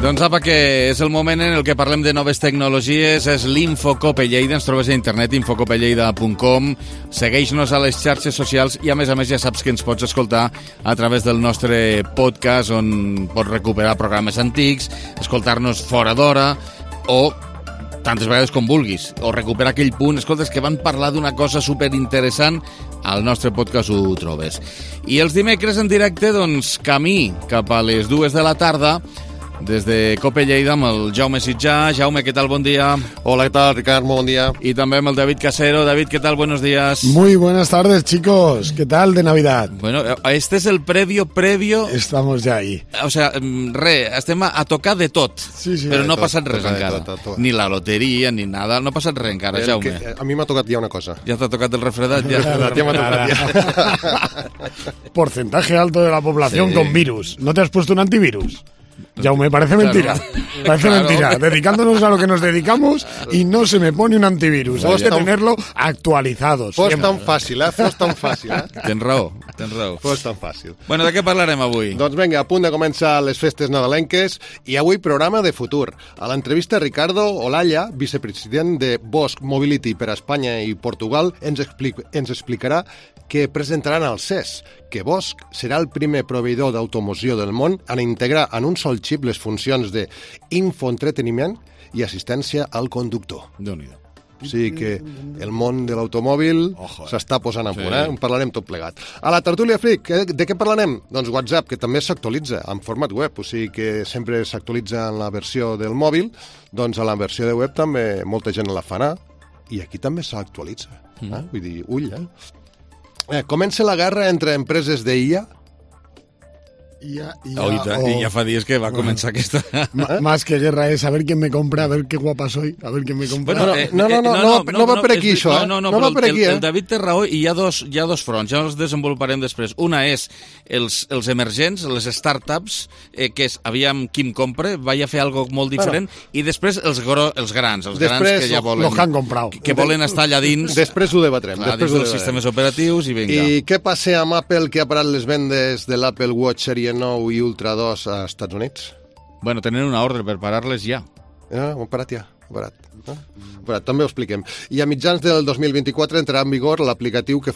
Speaker 1: Doncs apa, que és el moment en el que parlem de noves tecnologies, és l'Infocope Lleida, ens trobes a internet, infocopelleida.com, segueix-nos a les xarxes socials i a més ja saps que ens pots escoltar a través del nostre podcast on pots recuperar programes antics, escoltar-nos fora d'hora o tantes vegades com vulguis, o recuperar aquell punt, escoltes, que van parlar d'una cosa superinteressant, al nostre podcast ho trobes. I els dimecres en directe, doncs, camí cap a les 2 de la tarda, des de Cope Lleida amb el Jaume Sitjà. Jaume, ¿qué tal? Buen día.
Speaker 28: Hola, ¿qué tal, Ricardo? Buen día.
Speaker 1: Y también el David Casero. David, ¿qué tal? Buenos días.
Speaker 28: Muy buenas tardes, chicos. ¿Qué tal de Navidad?
Speaker 1: Bueno, este es el previo.
Speaker 28: Estamos ya ahí.
Speaker 1: O sea, estem a tocar de tot,
Speaker 28: sí,
Speaker 1: però no ha passat res
Speaker 28: toca
Speaker 1: encara.
Speaker 28: tot.
Speaker 1: Ni la loteria, ni nada. No ha passat res encara, Jaume.
Speaker 28: A mi m'ha tocat ja una cosa.
Speaker 1: Ja t'ha tocat el refredat?
Speaker 28: Ja m'ha tocat. Porcentaje alto de la población con virus. ¿No te has puesto un antivirus? Jaume, parece mentira. Parece mentira. Dedicándonos a lo que nos dedicamos y no se me pone un antivirus. Hay que tenerlo actualizado. Fos tan fàcil, Fos tan fàcil,
Speaker 1: Tens raó.
Speaker 28: Fos tan fàcil.
Speaker 1: Bueno, de què parlarem avui?
Speaker 28: Doncs vinga, a punt de començar les festes nadalenques i avui programa de futur. A l'entrevista, Ricardo Olalla, vicepresident de Bosch Mobility per a Espanya i Portugal, ens explicarà que presentaran al CES, que Bosch serà el primer proveïdor d'automoció del món en integrar en un sol xip les funcions d'infoentreteniment i assistència al conductor.
Speaker 1: Déu-n'hi-do.
Speaker 28: O sigui que el món de l'automòbil s'està posant a punt, En parlarem tot plegat. A la tertúlia Freak, de què parlarem? Doncs WhatsApp, que també s'actualitza en format web, o sigui que sempre s'actualitza en la versió del mòbil, doncs a la versió de web també molta gent la fa anar, i aquí també s'actualitza. Vull dir, ull, comença la guerra entre empreses d'IA.
Speaker 1: Y ya fa días que va a comenzar aquesta...
Speaker 28: Más que guerra es a ver quién me compra, a ver qué guapa soy, a ver quién me compra. No va per aquí això,
Speaker 1: No va per aquí, el David té raó i hi ha dos fronts, ja els desenvoluparem després. Una és els emergents, les startups, que és, aviam qui em compra, vaig a fer algo molt diferent, i després els grans que ja volen...
Speaker 28: Los que han comprado.
Speaker 1: Que volen estar allà dins...
Speaker 28: Després ho debatrem.
Speaker 1: Dins dels sistemes operatius i vinga.
Speaker 28: I què passa amb Apple, que ha parat les vendes de l'Apple Watch Series 9 i Ultra 2 a Estats Units?
Speaker 1: Bueno, tenen una ordre per parar-les ja.
Speaker 28: Ho han parat ja. També ho expliquem. I a mitjans del 2024 entrarà en vigor l'aplicatiu que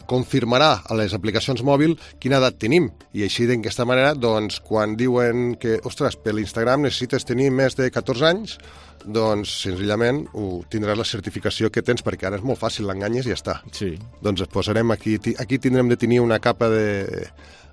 Speaker 28: confirmarà a les aplicacions mòbil quina edat tenim. I així, d'aquesta manera, doncs, quan diuen que, ostres, per l'Instagram necessites tenir més de 14 anys, doncs, senzillament, tindràs la certificació que tens, perquè ara és molt fàcil, l'enganyes i ja està.
Speaker 1: Sí.
Speaker 28: Doncs es posarem aquí tindrem de tenir una capa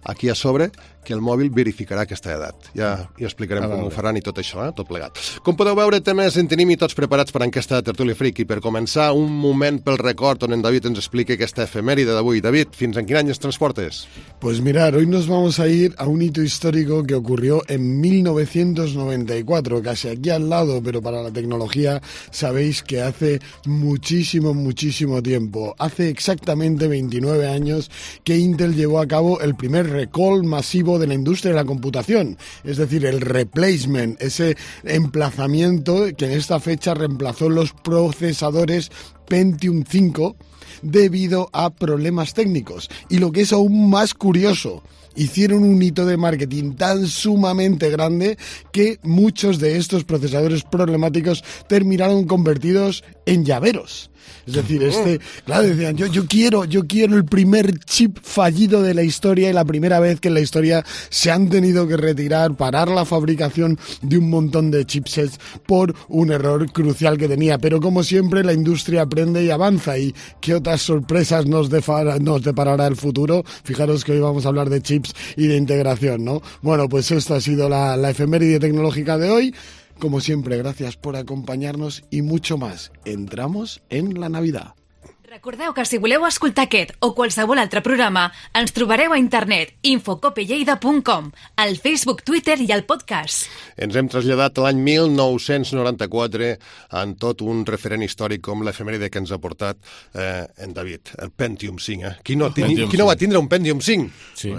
Speaker 28: aquí a sobre, que el mòbil verificarà aquesta edat. Ja explicarem com ho faran i tot això, tot plegat. Com podeu veure, temes en tenim i tots preparats per aquesta tertúlia Freak. I per començar, un moment pel record on en David ens explica aquesta efemèride d'avui. David, fins en quin any ens transportes?
Speaker 2: Pues mirar, hoy nos vamos a ir a un hito histórico que ocurrió en 1994, casi aquí al lado, pero para la tecnología sabéis que hace muchísimo tiempo. Hace exactamente 29 años que Intel llevó a cabo el primer recall masivo de la industria de la computación, es decir, el replacement, ese emplazamiento que en esta fecha reemplazó los procesadores Pentium 5 debido a problemas técnicos. Y lo que es aún más curioso, hicieron un hito de marketing tan sumamente grande que muchos de estos procesadores problemáticos terminaron convertidos en llaveros. Es decir, claro, decían, yo quiero el primer chip fallido de la historia y la primera vez que en la historia se han tenido que parar la fabricación de un montón de chipsets por un error crucial que tenía. Pero como siempre, la industria aprende y avanza. ¿Y qué otras sorpresas nos deparará el futuro? Fijaros que hoy vamos a hablar de chips y de integración, ¿no? Bueno, pues esta ha sido la efeméride tecnológica de hoy. Como siempre, gracias por acompanyar-nos i mucho más. Entramos en la Navidad.
Speaker 10: Recordeu que si voleu escoltar aquest o qualsevol altre programa, ens trobareu a internet infocopelleida.com, al Facebook, Twitter i al podcast.
Speaker 28: Ens hem traslladat a l'any 1994 en tot un referent històric com l'efemèride que ens ha portat en David, el Pentium 5. Qui no va tindre un Pentium 5?
Speaker 1: Sí.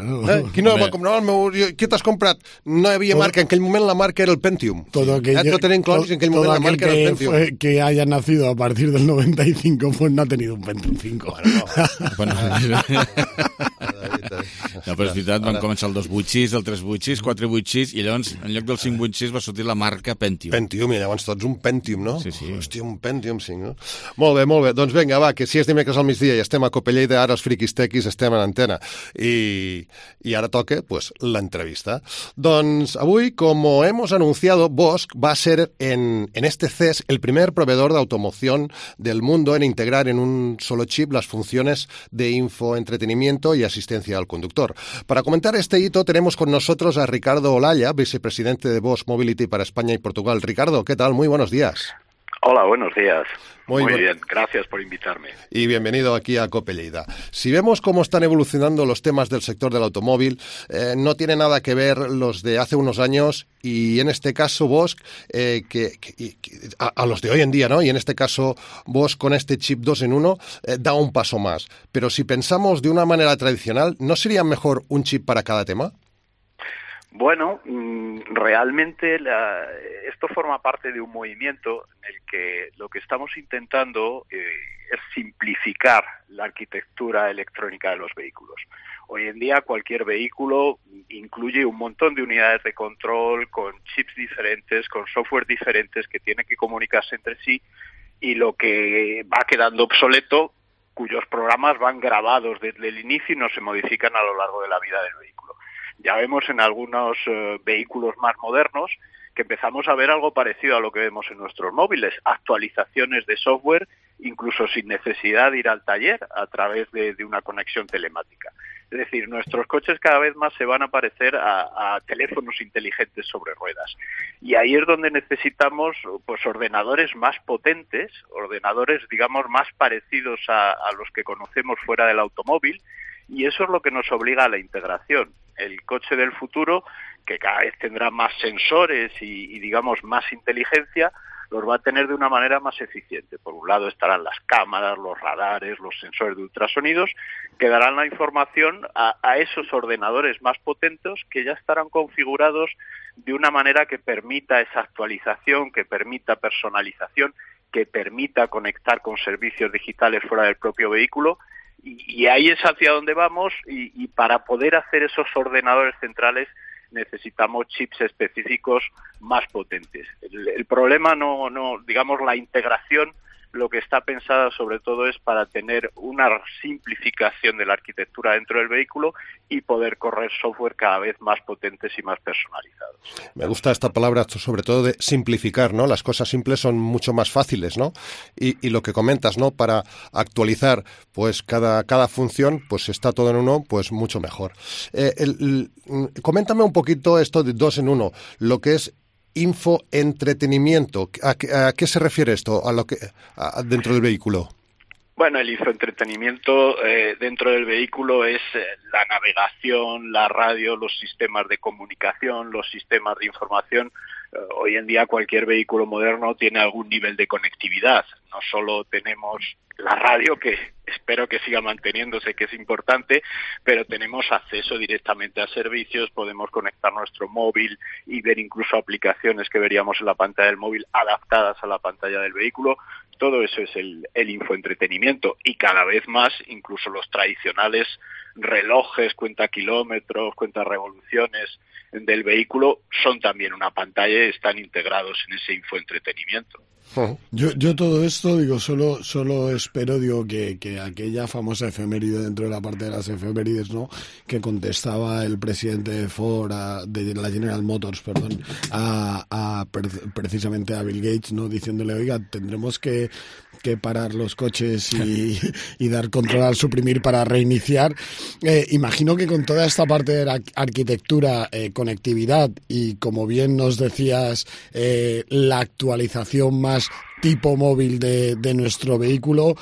Speaker 28: Qui no va comprar? Què t'has comprat? No hi havia marca. En aquell moment la marca era el Pentium.
Speaker 2: Todo
Speaker 28: tenen claus i en aquell moment la marca era el Pentium.
Speaker 2: Que haya nacido a partir del 95 pues no ha tenido un Pentium 5.
Speaker 1: Bueno, no, però és veritat, van començar el 286, el 386, 486, i llavors, en lloc del 586, va sortir la marca Pentium.
Speaker 28: Pentium, i llavors tots un Pentium, no?
Speaker 1: Sí.
Speaker 28: Hòstia, un Pentium 5, no? Molt bé. Doncs vinga, va, que si és dimecres al migdia i estem a Copelleida, ara els friquis tequis estem en antena. I ara toca, pues, l'entrevista. Doncs avui, como hemos anunciado, Bosch va a ser en este CES el primer proveedor de automoción del mundo en integrar en un solo chip las funciones de infoentretenimiento y asistencia al conductor. Para comentar este hito tenemos con nosotros a Ricardo Olalla, vicepresidente de Bosch Mobility para España y Portugal. Ricardo, ¿qué tal? Muy buenos días.
Speaker 14: Hola, buenos días.
Speaker 28: Muy
Speaker 14: bien, gracias por invitarme.
Speaker 28: Y bienvenido aquí a Copelleida. Si vemos cómo están evolucionando los temas del sector del automóvil, no tiene nada que ver los de hace unos años y en este caso Bosch, a los de hoy en día, ¿no? Y en este caso Bosch con este chip 2 en 1 da un paso más. Pero si pensamos de una manera tradicional, ¿no sería mejor un chip para cada tema?
Speaker 14: Bueno, realmente esto forma parte de un movimiento en el que lo que estamos intentando es simplificar la arquitectura electrónica de los vehículos. Hoy en día cualquier vehículo incluye un montón de unidades de control con chips diferentes, con software diferentes que tienen que comunicarse entre sí, y lo que va quedando obsoleto, cuyos programas van grabados desde el inicio y no se modifican a lo largo de la vida del vehículo. Ya vemos en algunos vehículos más modernos que empezamos a ver algo parecido a lo que vemos en nuestros móviles, actualizaciones de software, incluso sin necesidad de ir al taller, a través de una conexión telemática. Es decir, nuestros coches cada vez más se van a parecer a teléfonos inteligentes sobre ruedas. Y ahí es donde necesitamos pues ordenadores más potentes, ordenadores, digamos, más parecidos a los que conocemos fuera del automóvil, y eso es lo que nos obliga a la integración. El coche del futuro, que cada vez tendrá más sensores y digamos, más inteligencia, los va a tener de una manera más eficiente. Por un lado estarán las cámaras, los radares, los sensores de ultrasonidos, que darán la información a esos ordenadores más potentes que ya estarán configurados de una manera que permita esa actualización, que permita personalización, que permita conectar con servicios digitales fuera del propio vehículo. Y ahí es hacia donde vamos, y para poder hacer esos ordenadores centrales necesitamos chips específicos más potentes. El problema digamos, la integración, lo que está pensada sobre todo es para tener una simplificación de la arquitectura dentro del vehículo y poder correr software cada vez más potentes y más personalizados.
Speaker 28: Me gusta esta palabra, sobre todo de simplificar, ¿no? Las cosas simples son mucho más fáciles, ¿no? Y lo que comentas, ¿no? Para actualizar pues cada función, pues está todo en uno, pues mucho mejor. Coméntame un poquito esto de 2 en 1, lo que es infoentretenimiento. ¿A qué se refiere esto dentro del vehículo?
Speaker 14: Bueno, el infoentretenimiento dentro del vehículo es la navegación, la radio, los sistemas de comunicación, los sistemas de información. Hoy en día cualquier vehículo moderno tiene algún nivel de conectividad. No solo tenemos la radio, que espero que siga manteniéndose, que es importante, pero tenemos acceso directamente a servicios, podemos conectar nuestro móvil y ver incluso aplicaciones que veríamos en la pantalla del móvil adaptadas a la pantalla del vehículo. Todo eso es el infoentretenimiento, y cada vez más incluso los tradicionales relojes, cuenta kilómetros, cuenta revoluciones del vehículo son también una pantalla y están integrados en ese infoentretenimiento.
Speaker 2: Yo todo esto, digo, solo espero, digo, que aquella famosa efeméride dentro de la parte de las efemérides, ¿no?, que contestaba el presidente de Ford, de la General Motors, perdón, precisamente a Bill Gates, ¿no?, diciéndole, oiga, tendremos que parar los coches y dar control al suprimir para reiniciar. Imagino que con toda esta parte de la arquitectura, conectividad y, como bien nos decías, la actualización más tipo móvil de nuestro vehículo,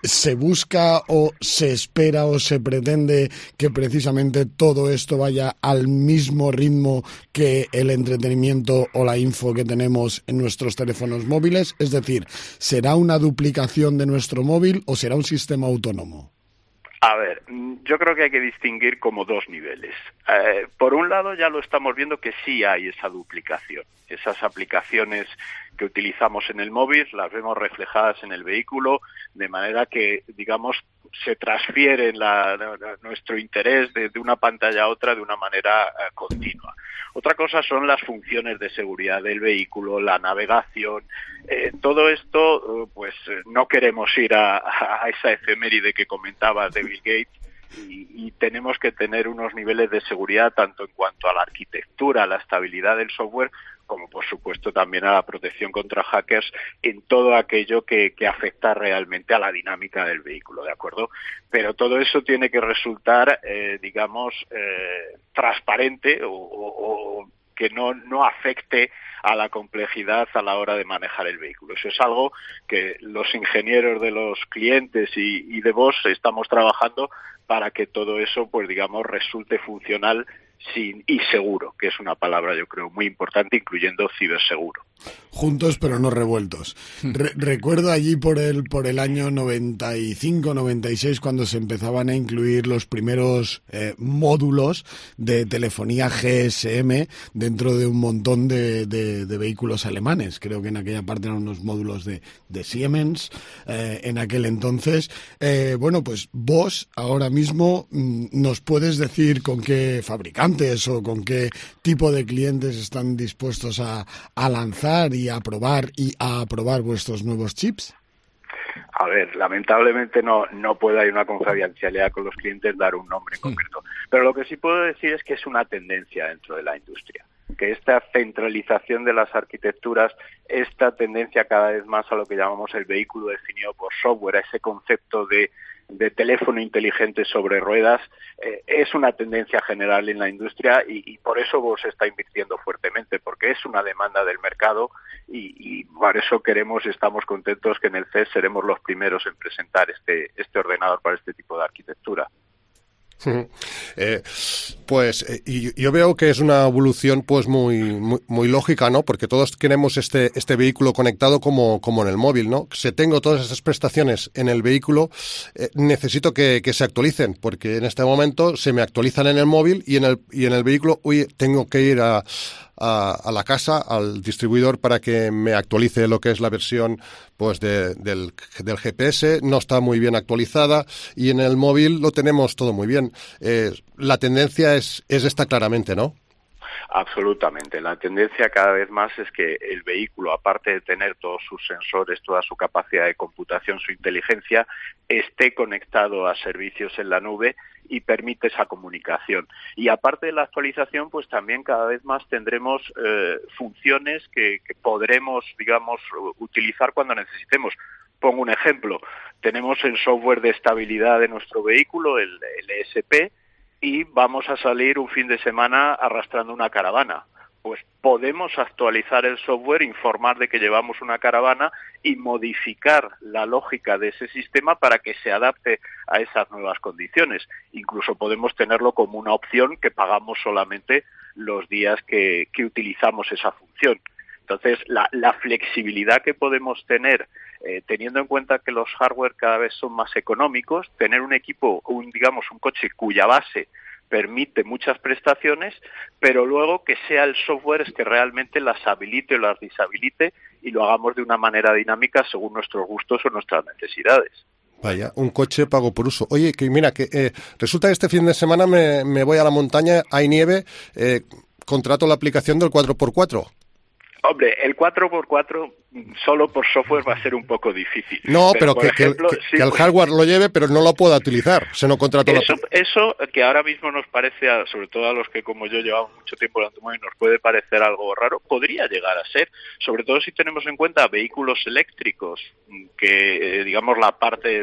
Speaker 2: se busca o se espera o se pretende que precisamente todo esto vaya al mismo ritmo que el entretenimiento o la info que tenemos en nuestros teléfonos móviles. Es decir, ¿será una duplicación de nuestro móvil o será un sistema autónomo?
Speaker 14: A ver, yo creo que hay que distinguir como dos niveles. Por un lado, ya lo estamos viendo que sí hay esa duplicación. Esas aplicaciones que utilizamos en el móvil las vemos reflejadas en el vehículo, de manera que, digamos, se transfiere nuestro interés de una pantalla a otra de una manera continua. Otra cosa son las funciones de seguridad del vehículo, la navegación. Todo esto, pues no queremos ir a esa efeméride que comentaba de Bill Gates, y tenemos que tener unos niveles de seguridad tanto en cuanto a la arquitectura, a la estabilidad del software, como por supuesto también a la protección contra hackers en todo aquello que afecta realmente a la dinámica del vehículo, ¿de acuerdo? Pero todo eso tiene que resultar, transparente o que no afecte a la complejidad a la hora de manejar el vehículo. Eso es algo que los ingenieros de los clientes y de Bosch estamos trabajando para que todo eso, pues digamos, resulte funcional y seguro, que es una palabra, yo creo, muy importante, incluyendo ciberseguro.
Speaker 2: juntos pero no revueltos. Recuerdo allí por el año 95, 96, cuando se empezaban a incluir los primeros módulos de telefonía GSM dentro de un montón de vehículos alemanes. Creo que en aquella parte eran unos módulos de Siemens en aquel entonces. Bueno, pues vos ahora mismo nos puedes decir con qué fabricantes o con qué tipo de clientes están dispuestos a lanzar y a probar vuestros nuevos chips.
Speaker 14: A ver, lamentablemente no puede haber una confidencialidad con los clientes, dar un nombre en concreto. Pero lo que sí puedo decir es que es una tendencia dentro de la industria, que esta centralización de las arquitecturas, esta tendencia cada vez más a lo que llamamos el vehículo definido por software, a ese concepto de teléfono inteligente sobre ruedas, es una tendencia general en la industria y por eso Bosch está invirtiendo fuertemente, porque es una demanda del mercado y por eso estamos contentos que en el CES seremos los primeros en presentar este ordenador para este tipo de arquitectura.
Speaker 28: Yo veo que es una evolución pues muy lógica, ¿no? Porque todos queremos este vehículo conectado como en el móvil, ¿no? Si tengo todas esas prestaciones en el vehículo, necesito que se actualicen, porque en este momento se me actualizan en el móvil y en el vehículo tengo que ir a la casa, al distribuidor, para que me actualice lo que es la versión pues del GPS. No está muy bien actualizada y en el móvil lo tenemos todo muy bien. La tendencia es esta claramente, ¿no?
Speaker 14: Absolutamente. La tendencia cada vez más es que el vehículo, aparte de tener todos sus sensores, toda su capacidad de computación, su inteligencia, esté conectado a servicios en la nube y permite esa comunicación. Y aparte de la actualización, pues también cada vez más tendremos funciones que podremos, digamos, utilizar cuando necesitemos. Pongo un ejemplo. Tenemos el software de estabilidad de nuestro vehículo, el ESP, y vamos a salir un fin de semana arrastrando una caravana. Pues podemos actualizar el software, informar de que llevamos una caravana y modificar la lógica de ese sistema para que se adapte a esas nuevas condiciones. Incluso podemos tenerlo como una opción que pagamos solamente los días que utilizamos esa función. Entonces, la flexibilidad que podemos tener, teniendo en cuenta que los hardware cada vez son más económicos, tener un equipo, un coche cuya base permite muchas prestaciones, pero luego que sea el software que realmente las habilite o las deshabilite y lo hagamos de una manera dinámica según nuestros gustos o nuestras necesidades.
Speaker 28: Vaya, un coche pago por uso. Oye, que mira, que resulta que este fin de semana me voy a la montaña, hay nieve, contrato la aplicación del 4x4.
Speaker 14: Hombre, el 4x4 solo por software va a ser un poco difícil.
Speaker 28: No, pero que el hardware lo lleve, pero no lo pueda utilizar. Se no contrato
Speaker 14: eso que ahora mismo nos parece, sobre todo a los que como yo llevamos mucho tiempo en el automóvil, nos puede parecer algo raro, podría llegar a ser, sobre todo si tenemos en cuenta vehículos eléctricos, que digamos la parte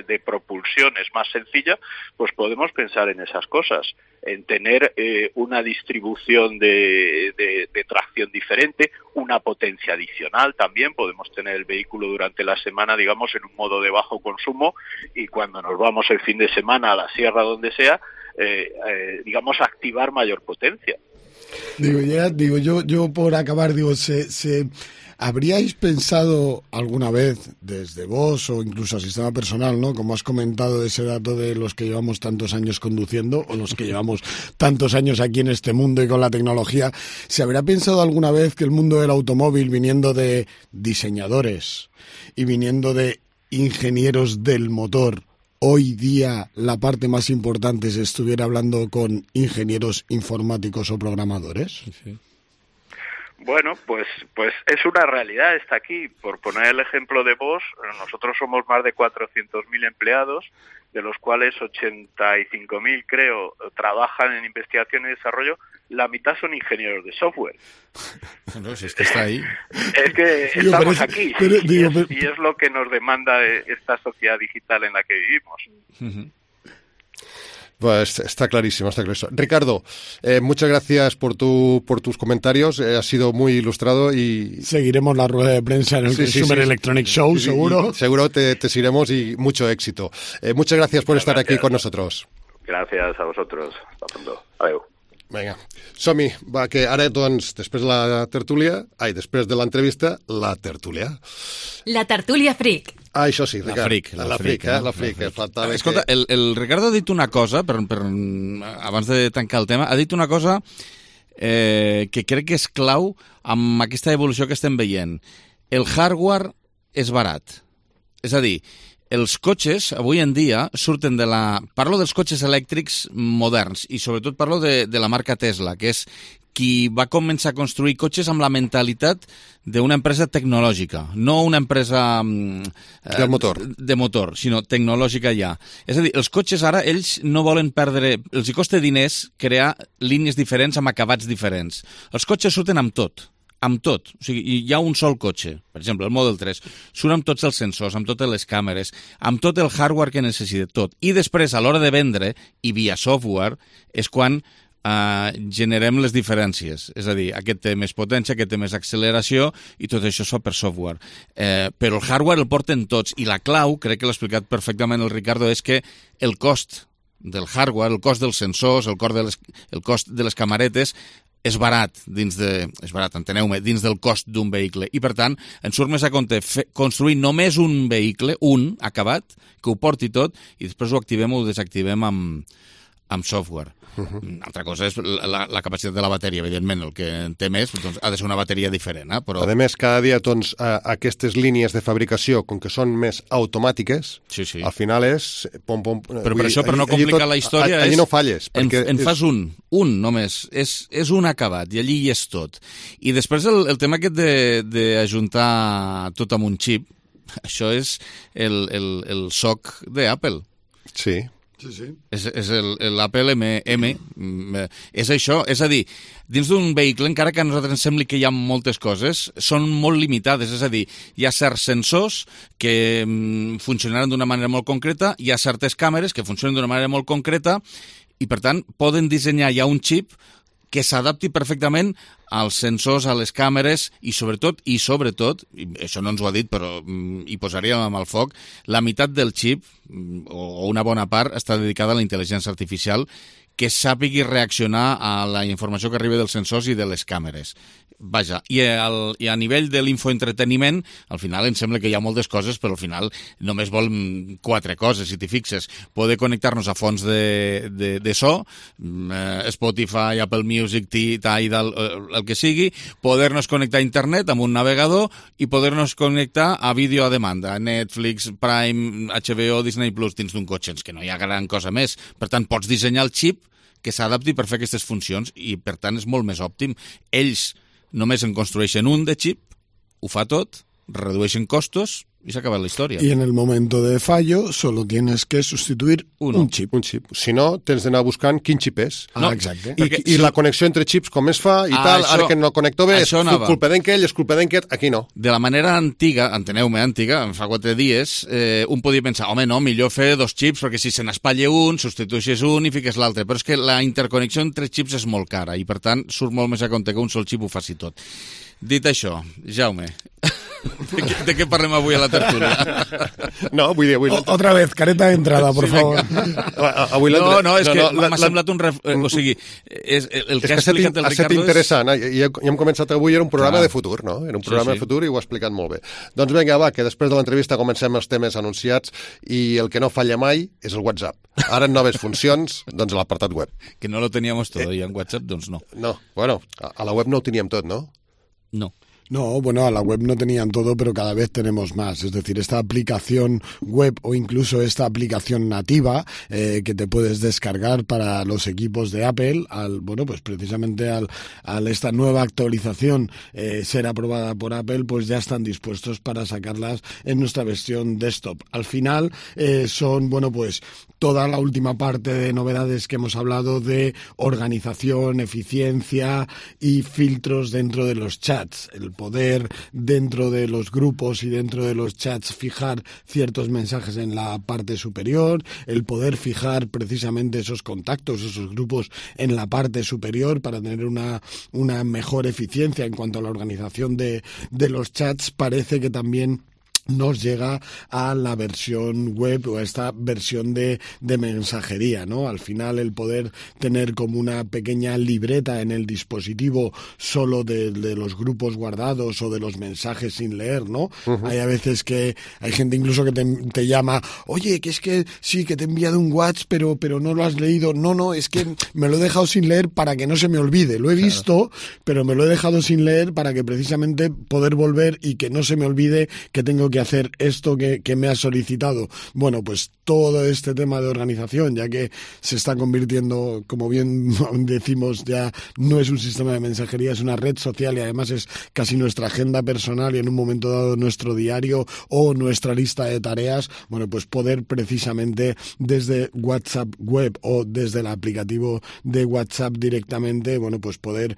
Speaker 14: de propulsión es más sencilla, pues podemos pensar en esas cosas, en tener una distribución de tracción diferente, una potencia adicional también. Podemos tener el vehículo durante la semana, digamos, en un modo de bajo consumo y cuando nos vamos el fin de semana a la sierra, donde sea, digamos, activar mayor potencia.
Speaker 2: Yo por acabar, ¿habríais pensado alguna vez, desde vos o incluso a sistema personal, ¿no? Como has comentado, ese dato de los que llevamos tantos años conduciendo o los que llevamos tantos años aquí en este mundo y con la tecnología, ¿se habrá pensado alguna vez que el mundo del automóvil, viniendo de diseñadores y viniendo de ingenieros del motor, hoy día la parte más importante se estuviera hablando con ingenieros informáticos o programadores?
Speaker 28: Sí.
Speaker 14: Bueno, pues es una realidad, está aquí. Por poner el ejemplo de Bosch, nosotros somos más de 400.000 empleados, de los cuales 85.000, creo, trabajan en investigación y desarrollo. La mitad son ingenieros de software.
Speaker 1: No, si es que está ahí.
Speaker 14: Es que estamos aquí, y es lo que nos demanda esta sociedad digital en la que vivimos.
Speaker 28: Uh-huh. Pues está clarísimo, está clarísimo. Ricardo, muchas gracias por tus comentarios, has sido muy ilustrado y...
Speaker 2: Seguiremos la rueda de prensa en el Consumer Electronic Show, seguro.
Speaker 28: Seguro te seguiremos y mucho éxito. Muchas gracias por estar aquí con nosotros.
Speaker 14: Gracias a vosotros. Hasta pronto. Adiós.
Speaker 28: Vinga, som-hi. Va, que ara, doncs, després de l'entrevista, la tertúlia.
Speaker 10: La tertúlia fric.
Speaker 28: Ah, això sí, Ricard.
Speaker 1: La fric. Escolta, el Ricardo ha dit una cosa, abans de tancar el tema, ha dit una cosa que crec que és clau amb aquesta evolució que estem veient. El hardware és barat. És a dir, els cotxes, avui en dia, surten de la... Parlo dels cotxes elèctrics moderns i sobretot parlo de la marca Tesla, que és qui va començar a construir cotxes amb la mentalitat d'una empresa tecnològica, no una empresa de motor, sinó tecnològica ja. És a dir, els cotxes ara, ells no volen perdre... Els hi costa diners crear línies diferents amb acabats diferents. Els cotxes surten amb tot. Amb tot, o sigui, hi ha un sol cotxe, per exemple, el Model 3, surt amb tots els sensors, amb totes les càmeres, amb tot el hardware que necessita, tot. I després, a l'hora de vendre, i via software, és quan generem les diferències. És a dir, aquest té més potència, aquest té més acceleració, i tot això es fa per software. Però el hardware el porten tots, i la clau, crec que l'ha explicat perfectament el Ricardo, és que el cost del hardware, el cost dels sensors, el cost de les camaretes, és barat, enteneu-me, dins del cost d'un vehicle. I, per tant, ens surt més a compte construir només un vehicle, un acabat, que ho porti tot, i després ho activem o ho desactivem amb software. Altra cosa és la capacitat de la bateria, evidentment, el que en té més doncs, ha de ser una bateria diferent. Però...
Speaker 28: A més, cada dia doncs, aquestes línies de fabricació, com que són més automàtiques, al final és...
Speaker 1: Però per això, per no complicar la història,
Speaker 28: allí no falles.
Speaker 1: En fas un només, és un acabat, i allí hi és tot. I després el tema aquest d'ajuntar tot amb un xip, això és el SoC d'Apple.
Speaker 28: Sí.
Speaker 2: Sí.
Speaker 1: És l'Apple M. És això, és a dir, dins d'un vehicle, encara que a nosaltres ens sembli que hi ha moltes coses, són molt limitades, és a dir, hi ha certs sensors que funcionaran d'una manera molt concreta, hi ha certes càmeres que funcionen d'una manera molt concreta, i per tant poden dissenyar ja un xip que s'adapti perfectament als sensors, a les càmeres i sobretot, i això no ens ho ha dit però hi posaríem amb el foc, la meitat del xip, o una bona part, està dedicada a la intel·ligència artificial que sàpigui reaccionar a la informació que arriba dels sensors i de les càmeres. Vaja, i a nivell de l'infoentreteniment, al final em sembla que hi ha moltes coses, però al final només vol 4 coses, si t'hi fixes. Poder connectar-nos a fonts de so, Spotify, Apple Music, Tidal, el que sigui, poder-nos connectar a internet amb un navegador i poder-nos connectar a vídeo a demanda, Netflix, Prime, HBO, Disney Plus, dins d'un cotxe, que no hi ha gran cosa més. Per tant, pots dissenyar el xip que s'adapti per fer aquestes funcions i, per tant, és molt més òptim. Ells només en construeixen un de xip, ho fa tot, redueixen costos y se acaba la historia.
Speaker 2: Y en el momento de fallo solo tienes que sustituir un xip.
Speaker 28: Un xip. Si no, tens d'anar buscant quin xip és.
Speaker 2: Exacte.
Speaker 28: I la connexió entre xips, com es fa, i tal, ara que no el connecto bé, és culpa d'enquell, és culpa d'enquest, aquí no.
Speaker 1: De la manera antiga, enteneu-me, fa 4 dies, un podia pensar, home, no, millor fer 2 xips, perquè si se n'espatlla un, substitueixes un i fiques l'altre, però és que la interconnexió entre xips és molt cara, i per tant surt molt més a compte que un sol xip ho faci tot. Dit això, Jaume, ¿de qué parlem avui a la tertúlia?
Speaker 28: No, vull dir...
Speaker 2: Otra vez, careta de entrada, por favor.
Speaker 1: No, és que m'ha semblat un... O sigui, el que ha explicat el Ricardo és...
Speaker 28: Ha estat interessant, i hem començat avui, era un programa de futur, no? Era un programa de futur i ho ha explicat molt bé. Doncs vinga, va, que després de l'entrevista comencem els temes anunciats i el que no falla mai és el WhatsApp. Ara en noves funcions, doncs l'apartat web.
Speaker 1: Que no lo teníamos todo y en WhatsApp, doncs no.
Speaker 28: No, bueno, a la web no ho teníem tot, no?
Speaker 1: No.
Speaker 2: No, bueno, a la web no tenían todo, pero cada vez tenemos más. Es decir, esta aplicación web o incluso esta aplicación nativa que te puedes descargar para los equipos de Apple, pues precisamente al esta nueva actualización ser aprobada por Apple, pues ya están dispuestos para sacarlas en nuestra versión desktop. Al final son, pues toda la última parte de novedades que hemos hablado de organización, eficiencia y filtros dentro de los chats. El poder dentro de los grupos y dentro de los chats fijar ciertos mensajes en la parte superior, el poder fijar precisamente esos contactos, esos grupos en la parte superior para tener una mejor eficiencia en cuanto a la organización de los chats. Parece que también nos llega a la versión web o a esta versión de mensajería, ¿no? Al final el poder tener como una pequeña libreta en el dispositivo solo de los grupos guardados o de los mensajes sin leer, ¿no? Hay a veces que hay gente incluso que te llama, oye, que es que sí, que te he enviado un WhatsApp, pero no lo has leído. No, es que me lo he dejado sin leer para que no se me olvide. Lo he visto, pero me lo he dejado sin leer para que precisamente poder volver y que no se me olvide que tengo que hacer esto que me ha solicitado. Bueno, pues todo este tema de organización, ya que se está convirtiendo, como bien decimos, ya no es un sistema de mensajería, es una red social y además es casi nuestra agenda personal y en un momento dado nuestro diario o nuestra lista de tareas. Bueno, pues poder precisamente desde WhatsApp web o desde el aplicativo de WhatsApp directamente, bueno, pues poder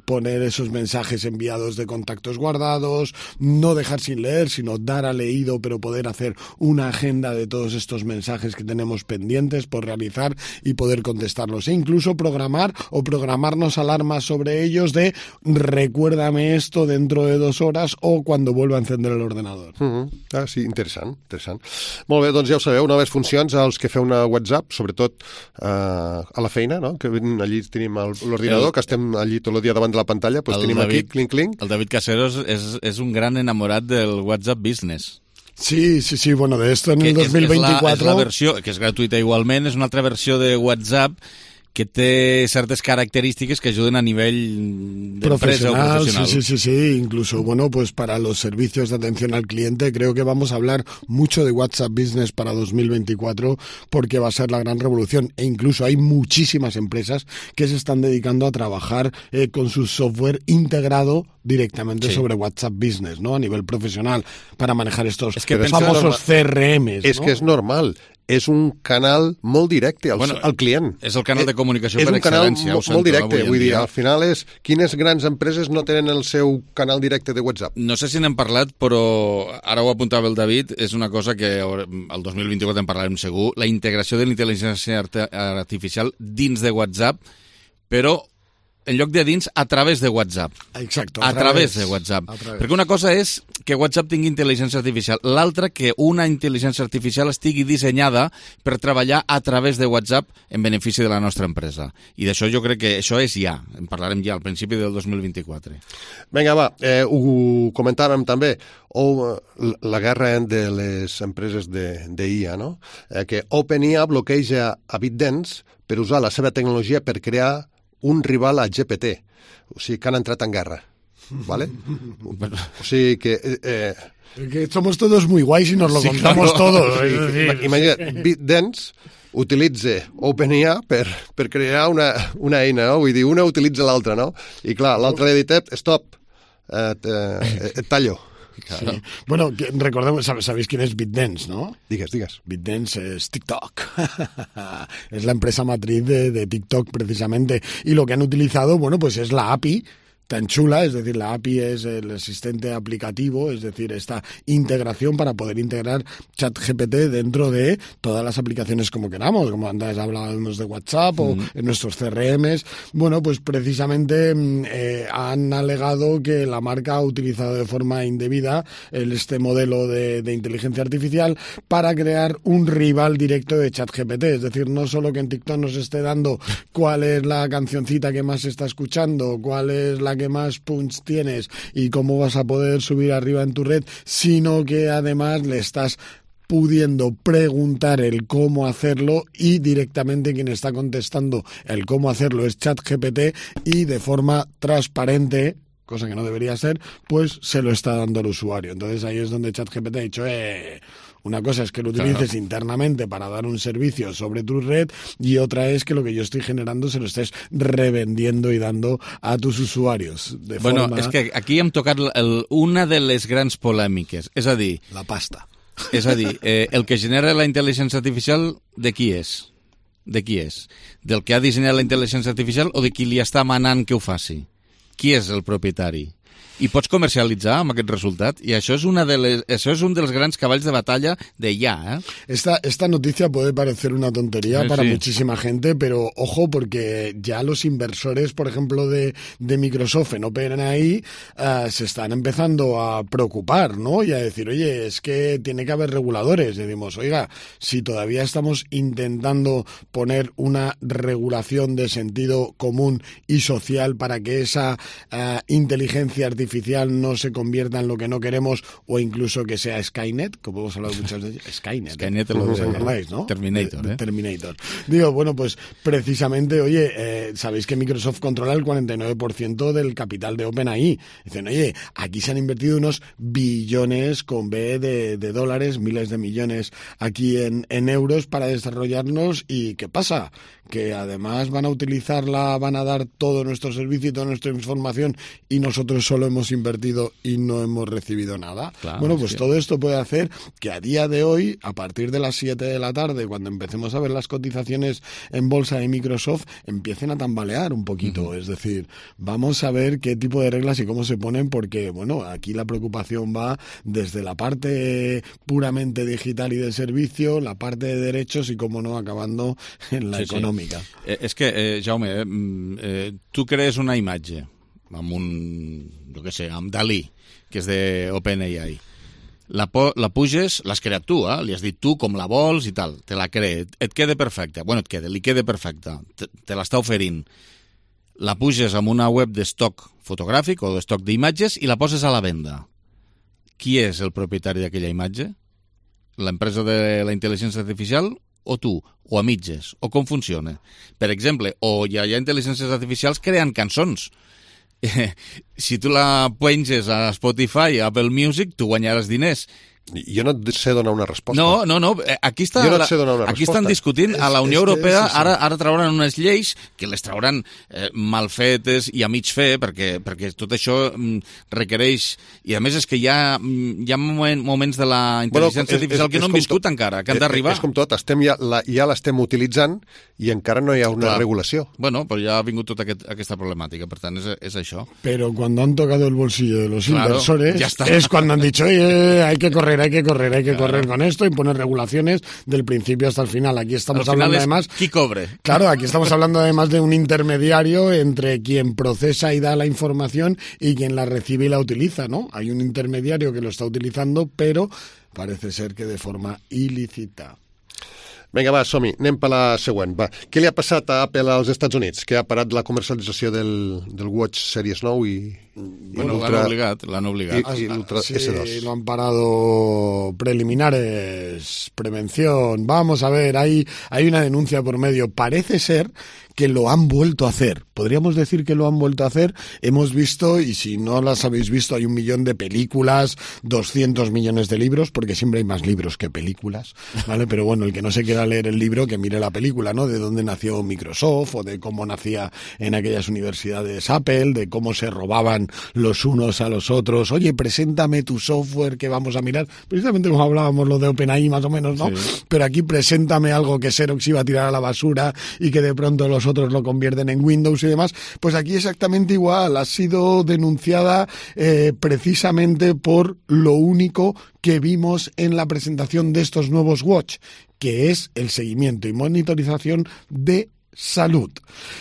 Speaker 2: poner esos mensajes enviados de contactos guardados, no dejar sin leer, sino dar a leído, pero poder hacer una agenda de todos estos mensajes que tenemos pendientes por realizar y poder contestarlos, e incluso programar o programarnos alarmas sobre ellos de recuérdame esto dentro de 2 horas o cuando vuelva a encender el ordenador.
Speaker 28: Sí, interessant. Molt bé, doncs ja ho sabeu, noves funcions als que feu una WhatsApp, sobretot a la feina, no? Que allí tenim l'ordinador, que estem allí tot el dia davant de la pantalla, doncs tenim aquí, clink.
Speaker 1: El David Caseros és un gran enamorat del WhatsApp Business.
Speaker 2: Sí, bueno, de esto en el 2024...
Speaker 1: És la versió, que és gratuïta igualment, és una altra versió de WhatsApp que té ciertas características que ayuden a nivel de
Speaker 2: profesional. Sí. Incluso, bueno, pues para los servicios de atención al cliente creo que vamos a hablar mucho de WhatsApp Business para 2024 porque va a ser la gran revolución. E incluso hay muchísimas empresas que se están dedicando a trabajar con su software integrado directamente sobre WhatsApp Business, ¿no? A nivel profesional para manejar estos famosos CRMs, ¿no?
Speaker 28: És que és normal. És un canal molt directe al client.
Speaker 1: És el canal de comunicació per excel·lència.
Speaker 28: És un canal molt directe, vull dir, al final és quines grans empreses no tenen el seu canal directe de WhatsApp.
Speaker 1: No sé si n'hem parlat, però ara ho apuntava el David, és una cosa que el 2024 en parlarem segur, la integració de la intel·ligència artificial dins de WhatsApp, però en lloc de dins, a través de WhatsApp.
Speaker 2: Exacto.
Speaker 1: A través de WhatsApp. Perquè una cosa és que WhatsApp tingui intel·ligència artificial, l'altra que una intel·ligència artificial estigui dissenyada per treballar a través de WhatsApp en benefici de la nostra empresa. I d'això jo crec que això és ja. En parlarem ja al principi del 2024.
Speaker 28: Vinga, va, ho comentàvem també. La guerra de les empreses d'IA, no? Que OpenIA bloqueja a ByteDance per usar la seva tecnologia per crear un rival a GPT, o sigui que han entrat en guerra, ¿vale? O sigui que...
Speaker 2: que somos todos muy guays y nos lo contamos todos.
Speaker 28: Imagina't, ByteDance utilitza OpenIA per crear una eina, no? Vull dir, una utilitza l'altra, no? I clar, l'altre li ha dit, stop, et tallo.
Speaker 2: Sí. Bueno, recordemos, sabéis quién es ByteDance, ¿no?
Speaker 28: Digas.
Speaker 2: ByteDance es TikTok. Es la empresa matriz de TikTok, precisamente. Y lo que han utilizado, bueno, pues es la API tan chula, es decir, la API es el asistente aplicativo, es decir, esta integración para poder integrar ChatGPT dentro de todas las aplicaciones como queramos, como antes hablábamos de WhatsApp o en nuestros CRMs. Bueno, pues precisamente han alegado que la marca ha utilizado de forma indebida este modelo de inteligencia artificial para crear un rival directo de ChatGPT, es decir, no solo que en TikTok nos esté dando cuál es la cancioncita que más se está escuchando, cuál es la que más punch tienes y cómo vas a poder subir arriba en tu red, sino que además le estás pudiendo preguntar el cómo hacerlo y directamente quien está contestando el cómo hacerlo es ChatGPT y de forma transparente, cosa que no debería ser, pues se lo está dando al usuario. Entonces ahí es donde ChatGPT ha dicho, una cosa es que lo utilices internamente para dar un servicio sobre tu red y otra es que lo que yo estoy generando se lo estés revendiendo y dando a tus usuarios.
Speaker 1: Bueno, és que aquí hem tocat una de les grans polèmiques, és a dir...
Speaker 2: La pasta.
Speaker 1: És a dir, el que genera la intel·ligència artificial, de qui és? De qui és? Del que ha dissenyat la intel·ligència artificial o de qui li està manant que ho faci? Qui és el propietari? i pots comercialitzar amb aquest resultat, y això és un dels grans caballs de batalla de ya.
Speaker 2: Esta noticia puede parecer una tontería para muchísima gente, pero ojo, porque ya los inversores, por ejemplo, de Microsoft en OpenAI se están empezando a preocupar, ¿no? Y a decir, oye, es que tiene que haber reguladores. Y decimos, oiga, si todavía estamos intentando poner una regulación de sentido común y social para que esa inteligencia artificial no se convierta en lo que no queremos, o incluso que sea Skynet, como hemos hablado muchas veces. Skynet
Speaker 1: lo
Speaker 2: recordáis, ¿no?
Speaker 1: Terminator.
Speaker 2: Terminator. Digo, bueno, pues precisamente, oye, sabéis que Microsoft controla el 49% del capital de OpenAI. Dicen, oye, aquí se han invertido unos billones con B de dólares, miles de millones aquí en euros para desarrollarnos, y ¿qué pasa? Que además van a dar todo nuestro servicio y toda nuestra información, y nosotros solo hemos invertido y no hemos recibido nada.
Speaker 1: Claro,
Speaker 2: bueno, pues todo esto puede hacer que a día de hoy, a partir de las 7 de la tarde, cuando empecemos a ver las cotizaciones en bolsa de Microsoft, empiecen a tambalear un poquito. Es decir, vamos a ver qué tipo de reglas y cómo se ponen, porque, bueno, aquí la preocupación va desde la parte puramente digital y de servicio, la parte de derechos y, cómo no, acabando en la económica.
Speaker 1: És que, Jaume, tu crees una imatge amb amb Dalí, que és d'OpenAI. La puges, l'has creat tu, li has dit tu com la vols i tal, te la cree, et queda perfecta. Bueno, li queda perfecta, te l'està oferint. La puges amb una web d'estoc fotogràfic o d'estoc d'imatges i la poses a la venda. Qui és el propietari d'aquella imatge? L'empresa de la intel·ligència artificial o tu? O a mitges? O com funciona? Per exemple, o hi ha intel·ligències artificials creant cançons. Si tu la penges a Spotify, a Apple Music, tu guanyaràs diners.
Speaker 28: Jo no et sé donar una resposta.
Speaker 1: No, aquí estan discutint a la Unió Europea, ara trauran unes lleis que les trauran mal fetes i a mig fer, perquè tot això requereix, i a més és que hi ha moments de la intel·ligència artificial que no han viscut encara, que han d'arribar.
Speaker 28: És com tot, ja l'estem utilitzant i encara no hi ha una regulació.
Speaker 1: Bueno, però ja ha vingut tota aquesta problemàtica, per tant és això.
Speaker 2: Pero cuando han tocado el bolsillo de los inversores, es cuando han dicho, oye, hay que correr con esto y poner regulaciones del principio hasta el final. Aquí estamos hablando además...
Speaker 1: ¿Qui cobre?
Speaker 2: Claro, aquí estamos hablando además de un intermediario entre quien procesa y da la información y quien la recibe y la utiliza, ¿no? Hay un intermediario que lo está utilizando, pero parece ser que de forma ilícita.
Speaker 28: Vinga, va, som-hi. Anem per la següent. Va. Què li ha passat a Apple als Estats Units? Que ha parat la comercialització del Watch Series 9 i...
Speaker 1: Bueno, l'han obligat.
Speaker 28: I l'Ultra S2.
Speaker 2: Sí, lo han parado preliminares, prevención. Vamos a ver, hay una denuncia por medio. Parece ser que lo han vuelto a hacer. Podríamos decir que lo han vuelto a hacer. Hemos visto, y si no las habéis visto, hay 1 millón de películas, 200 millones de libros, porque siempre hay más libros que películas, ¿vale? Pero bueno, el que no se quiera leer el libro, que mire la película, ¿no? De dónde nació Microsoft, o de cómo nacía en aquellas universidades Apple, de cómo se robaban los unos a los otros. Oye, preséntame tu software que vamos a mirar. Precisamente como hablábamos lo de OpenAI más o menos, ¿no? Sí. Pero aquí preséntame algo que Xerox iba a tirar a la basura y que de pronto los otros lo convierten en Windows y demás. Pues aquí exactamente igual. Ha sido denunciada precisamente por lo único que vimos en la presentación de estos nuevos Watch, que es el seguimiento y monitorización de salud.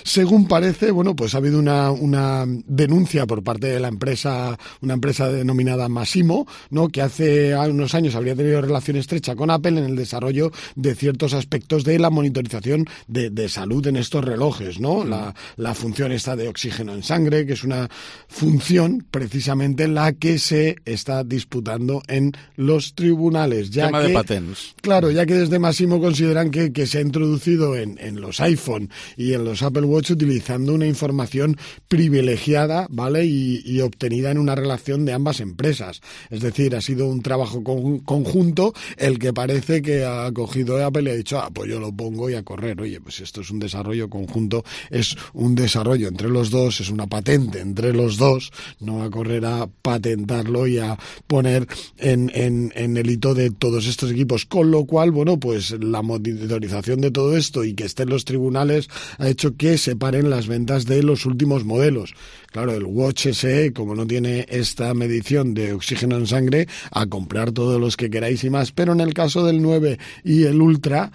Speaker 2: Según parece, bueno, pues ha habido una denuncia por parte de la empresa, una empresa denominada Masimo, ¿no? Que hace unos años habría tenido relación estrecha con Apple en el desarrollo de ciertos aspectos de la monitorización de salud en estos relojes, ¿no? La función esta de oxígeno en sangre, que es una función precisamente la que se está disputando en los tribunales. Ya
Speaker 1: tema de patents.
Speaker 2: Claro, ya que desde Masimo consideran que se ha introducido en los iPhone y en los Apple Watch utilizando una información privilegiada, ¿vale? Y obtenida en una relación de ambas empresas. Es decir, ha sido un trabajo conjunto el que parece que ha cogido Apple y ha dicho, pues yo lo pongo y a correr. Oye, pues esto es un desarrollo conjunto, es un desarrollo entre los dos, es una patente entre los dos, no va a correr a patentarlo y a poner en el hito de todos estos equipos. Con lo cual, bueno, pues la monitorización de todo esto y que esté en los tribunales ha hecho que se paren las ventas de los últimos modelos. claro, el Watch SE, como no tiene esta medición de oxígeno en sangre, a comprar todos los que queráis y más. Pero en el caso del 9 y el Ultra,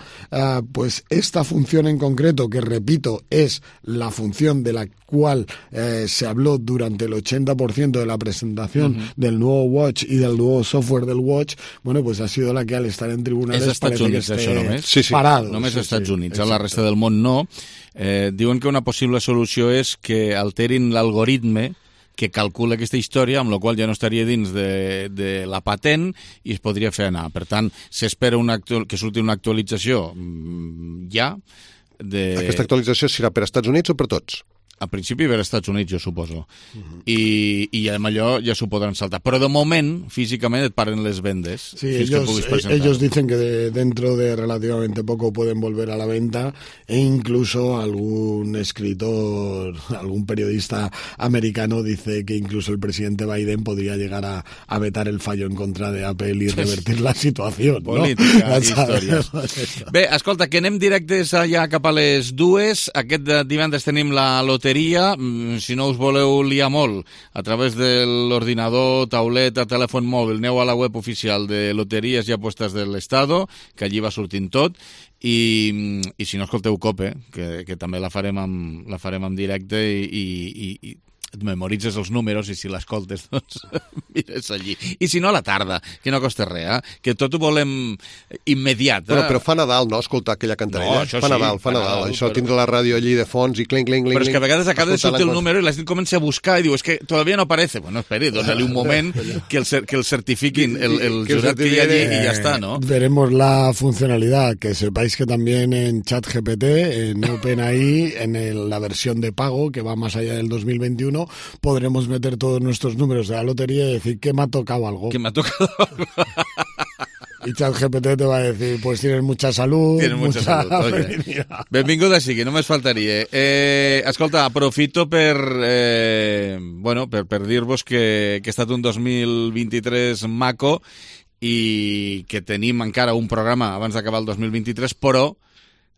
Speaker 2: pues esta función en concreto, que repito, es la función de la cual se habló durante el 80% de la presentación del nuevo Watch y del nuevo software del Watch, bueno, pues ha sido la que al estar en tribunales parece que esté parado.
Speaker 1: Només als Estats Units, a la resta del món no. Diuen que una possible solució és que alterin l'algoritme que calcula aquesta història, amb la qual ja no estaria dins de la patent i es podria fer anar. Per tant, s'espera que surti una actualització ja.
Speaker 28: Aquesta actualització serà per Estats Units o per tots?
Speaker 1: A principi per Estats Units, jo suposo. I amb allò ja s'ho podran saltar. Però de moment, físicament, et paren les vendes.
Speaker 2: Sí, ellos dicen que dentro de relativamente poco pueden volver a la venta e incluso algún escritor, algún periodista americano dice que incluso el presidente Biden podría llegar a vetar el fallo en contra de Apple y revertir la situació.
Speaker 1: Política, històries. Bé, escolta, que anem directes allà cap a les 2. Aquest divendres tenim la loteria. Si no us voleu liar molt, a través de l'ordinador, tauleta, telèfon mòbil, aneu a la web oficial de Loterías y Apuestas del Estado, que allí va sortint tot, i si no, escolteu COPE, que també la farem en directe i et memoritzes els números i si l'escoltes, doncs mires allí. I si no, a la tarda, que no costa res, que tot ho volem immediat.
Speaker 28: Però fa Nadal, no?, escoltar aquella cantarella.
Speaker 1: No,
Speaker 28: fa Nadal. Això, tindre la ràdio allí de fons i cling.
Speaker 1: Però és que a vegades acaba de sortir el número i la gent comença a buscar i diu, és que todavía no aparece. Bueno, esperi, dóna-li un moment que el certifiquin el jurat que hi ha allí i ja està, ¿no?
Speaker 2: Veremos la funcionalidad, que sepáis que también en ChatGPT, en OpenAI, en la versión de pago, que va más allá del 2021, podremos meter todos nuestros números de la lotería y decir que me ha tocado algo.
Speaker 1: Que me ha tocado algo.
Speaker 2: Y ChatGPT te va a decir, pues tienes mucha salud, mucha felicidad.
Speaker 1: Benvinguda sigui, només faltaria. Escolta, aprofito per dir-vos que ha estat un 2023 maco i que tenim encara un programa abans d'acabar el 2023, però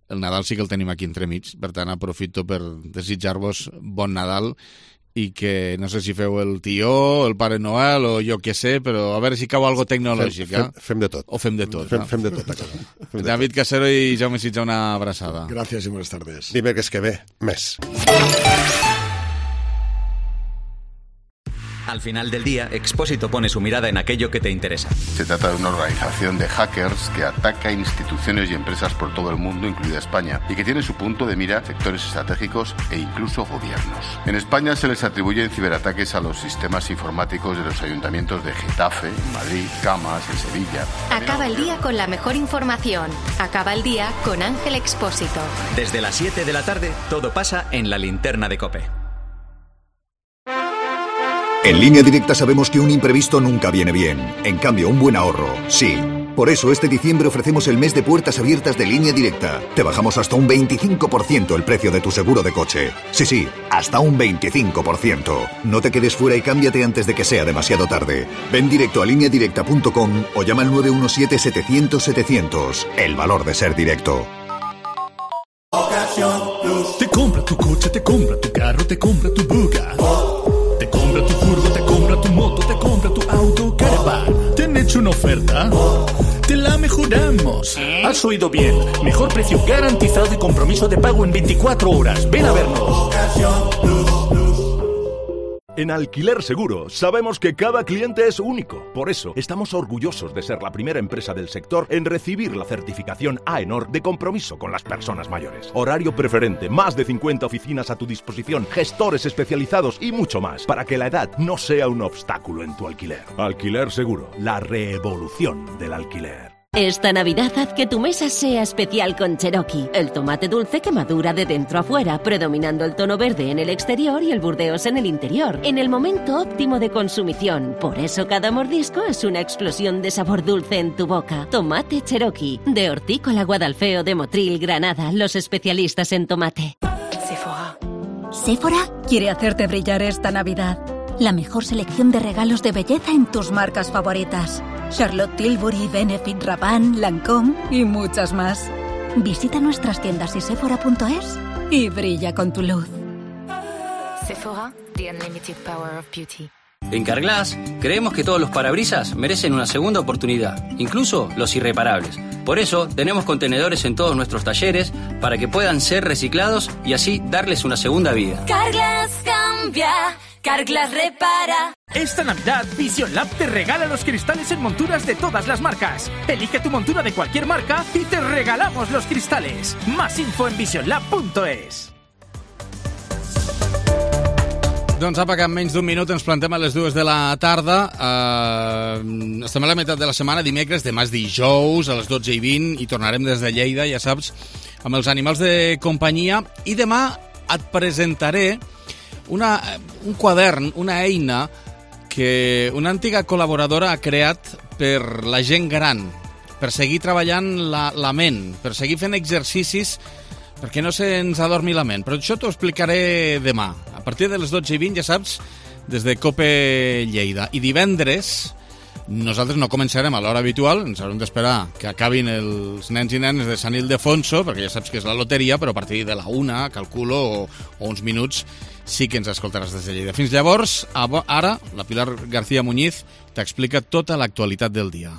Speaker 1: el Nadal sí que el tenim aquí entremig. Per tant, aprofito per desitjar-vos bon Nadal i que no sé si feu el tió, el Pare Noel o jo què sé, però a veure si cau algo tecnològic.
Speaker 28: Fem de tot.
Speaker 1: O fem de tot.
Speaker 28: Fem de tot a casa.
Speaker 1: David Casero i Jaume Sitja, una abraçada.
Speaker 2: Gràcies i buenas tardes.
Speaker 28: Dimecres que ve, més.
Speaker 3: Al final del día, Expósito pone su mirada en aquello que te interesa.
Speaker 15: Se trata de una organización de hackers que ataca instituciones y empresas por todo el mundo, incluida España, y que tiene su punto de mira sectores estratégicos e incluso gobiernos. En España se les atribuyen ciberataques a los sistemas informáticos de los ayuntamientos de Getafe, Madrid, Camas, en Sevilla.
Speaker 9: Acaba el día con la mejor información. Acaba el día con Ángel Expósito.
Speaker 3: Desde las 7 de la tarde, todo pasa en la linterna de COPE.
Speaker 16: En Línea Directa sabemos que un imprevisto nunca viene bien. En cambio, un buen ahorro, sí. Por eso, este diciembre ofrecemos el mes de puertas abiertas de Línea Directa. Te bajamos hasta un 25% el precio de tu seguro de coche. Sí, hasta un 25%. No te quedes fuera y cámbiate antes de que sea demasiado tarde. Ven directo a lineadirecta.com o llama al 917-700-700. El valor de ser directo.
Speaker 17: Te compra tu coche, te compra tu carro, te compra tu buga. Te compra tu furgo, te compra tu moto, te compra tu auto, caravan. ¿Te han hecho una oferta? Te la mejoramos. Has oído bien. Mejor precio garantizado y compromiso de pago en 24 horas. Ven a vernos.
Speaker 18: En Alquiler Seguro sabemos que cada cliente es único. Por eso estamos orgullosos de ser la primera empresa del sector en recibir la certificación AENOR de compromiso con las personas mayores. Horario preferente, más de 50 oficinas a tu disposición, gestores especializados y mucho más, para que la edad no sea un obstáculo en tu alquiler. Alquiler Seguro, la revolución del alquiler.
Speaker 19: Esta Navidad haz que tu mesa sea especial con Cherokee, el tomate dulce que madura de dentro a fuera, predominando el tono verde en el exterior y el burdeos en el interior, en el momento óptimo de consumición. Por eso cada mordisco es una explosión de sabor dulce en tu boca. Tomate Cherokee, de Hortícola Guadalfeo de Motril, Granada, los especialistas en tomate.
Speaker 21: Sephora quiere hacerte brillar esta Navidad. La mejor selección de regalos de belleza en tus marcas favoritas. Charlotte Tilbury, Benefit, Rabanne, Lancôme y muchas más. Visita nuestras tiendas y sephora.es y brilla con tu luz.
Speaker 4: Sephora, the unlimited power of beauty.
Speaker 5: En Carglass creemos que todos los parabrisas merecen una segunda oportunidad, incluso los irreparables. Por eso tenemos contenedores en todos nuestros talleres para que puedan ser reciclados y así darles una segunda vida.
Speaker 4: Carglass cambia, Carglass repara.
Speaker 6: Esta Navidad, Vision Lab te regala los cristales en monturas de todas las marcas. Elige tu montura de cualquier marca y te regalamos los cristales. Más info en visionlab.es.
Speaker 1: Doncs apa, que en menys d'un minut ens plantem a les 2 de la tarda. Estem a la meitat de la setmana, dimecres, demà és dijous, a les 12:20, i tornarem des de Lleida, ja saps, amb els animals de companyia. I demà et presentaré un quadern, una eina que una antiga col·laboradora ha creat per la gent gran, per seguir treballant la ment, per seguir fent exercicis perquè no se'ns adormi la ment. Però això t'ho explicaré demà. A partir de les 12:20, ja saps, des de COPE Lleida. I divendres nosaltres no començarem a l'hora habitual, ens haurem d'esperar que acabin els nens i nenes de Sant Ildefonso, perquè ja saps que és la loteria, però a partir de la 1, calculo, o uns minuts, sí que ens escoltaràs des de Lleida. Fins llavors, ara, la Pilar García Muñiz t'explica tota l'actualitat del dia.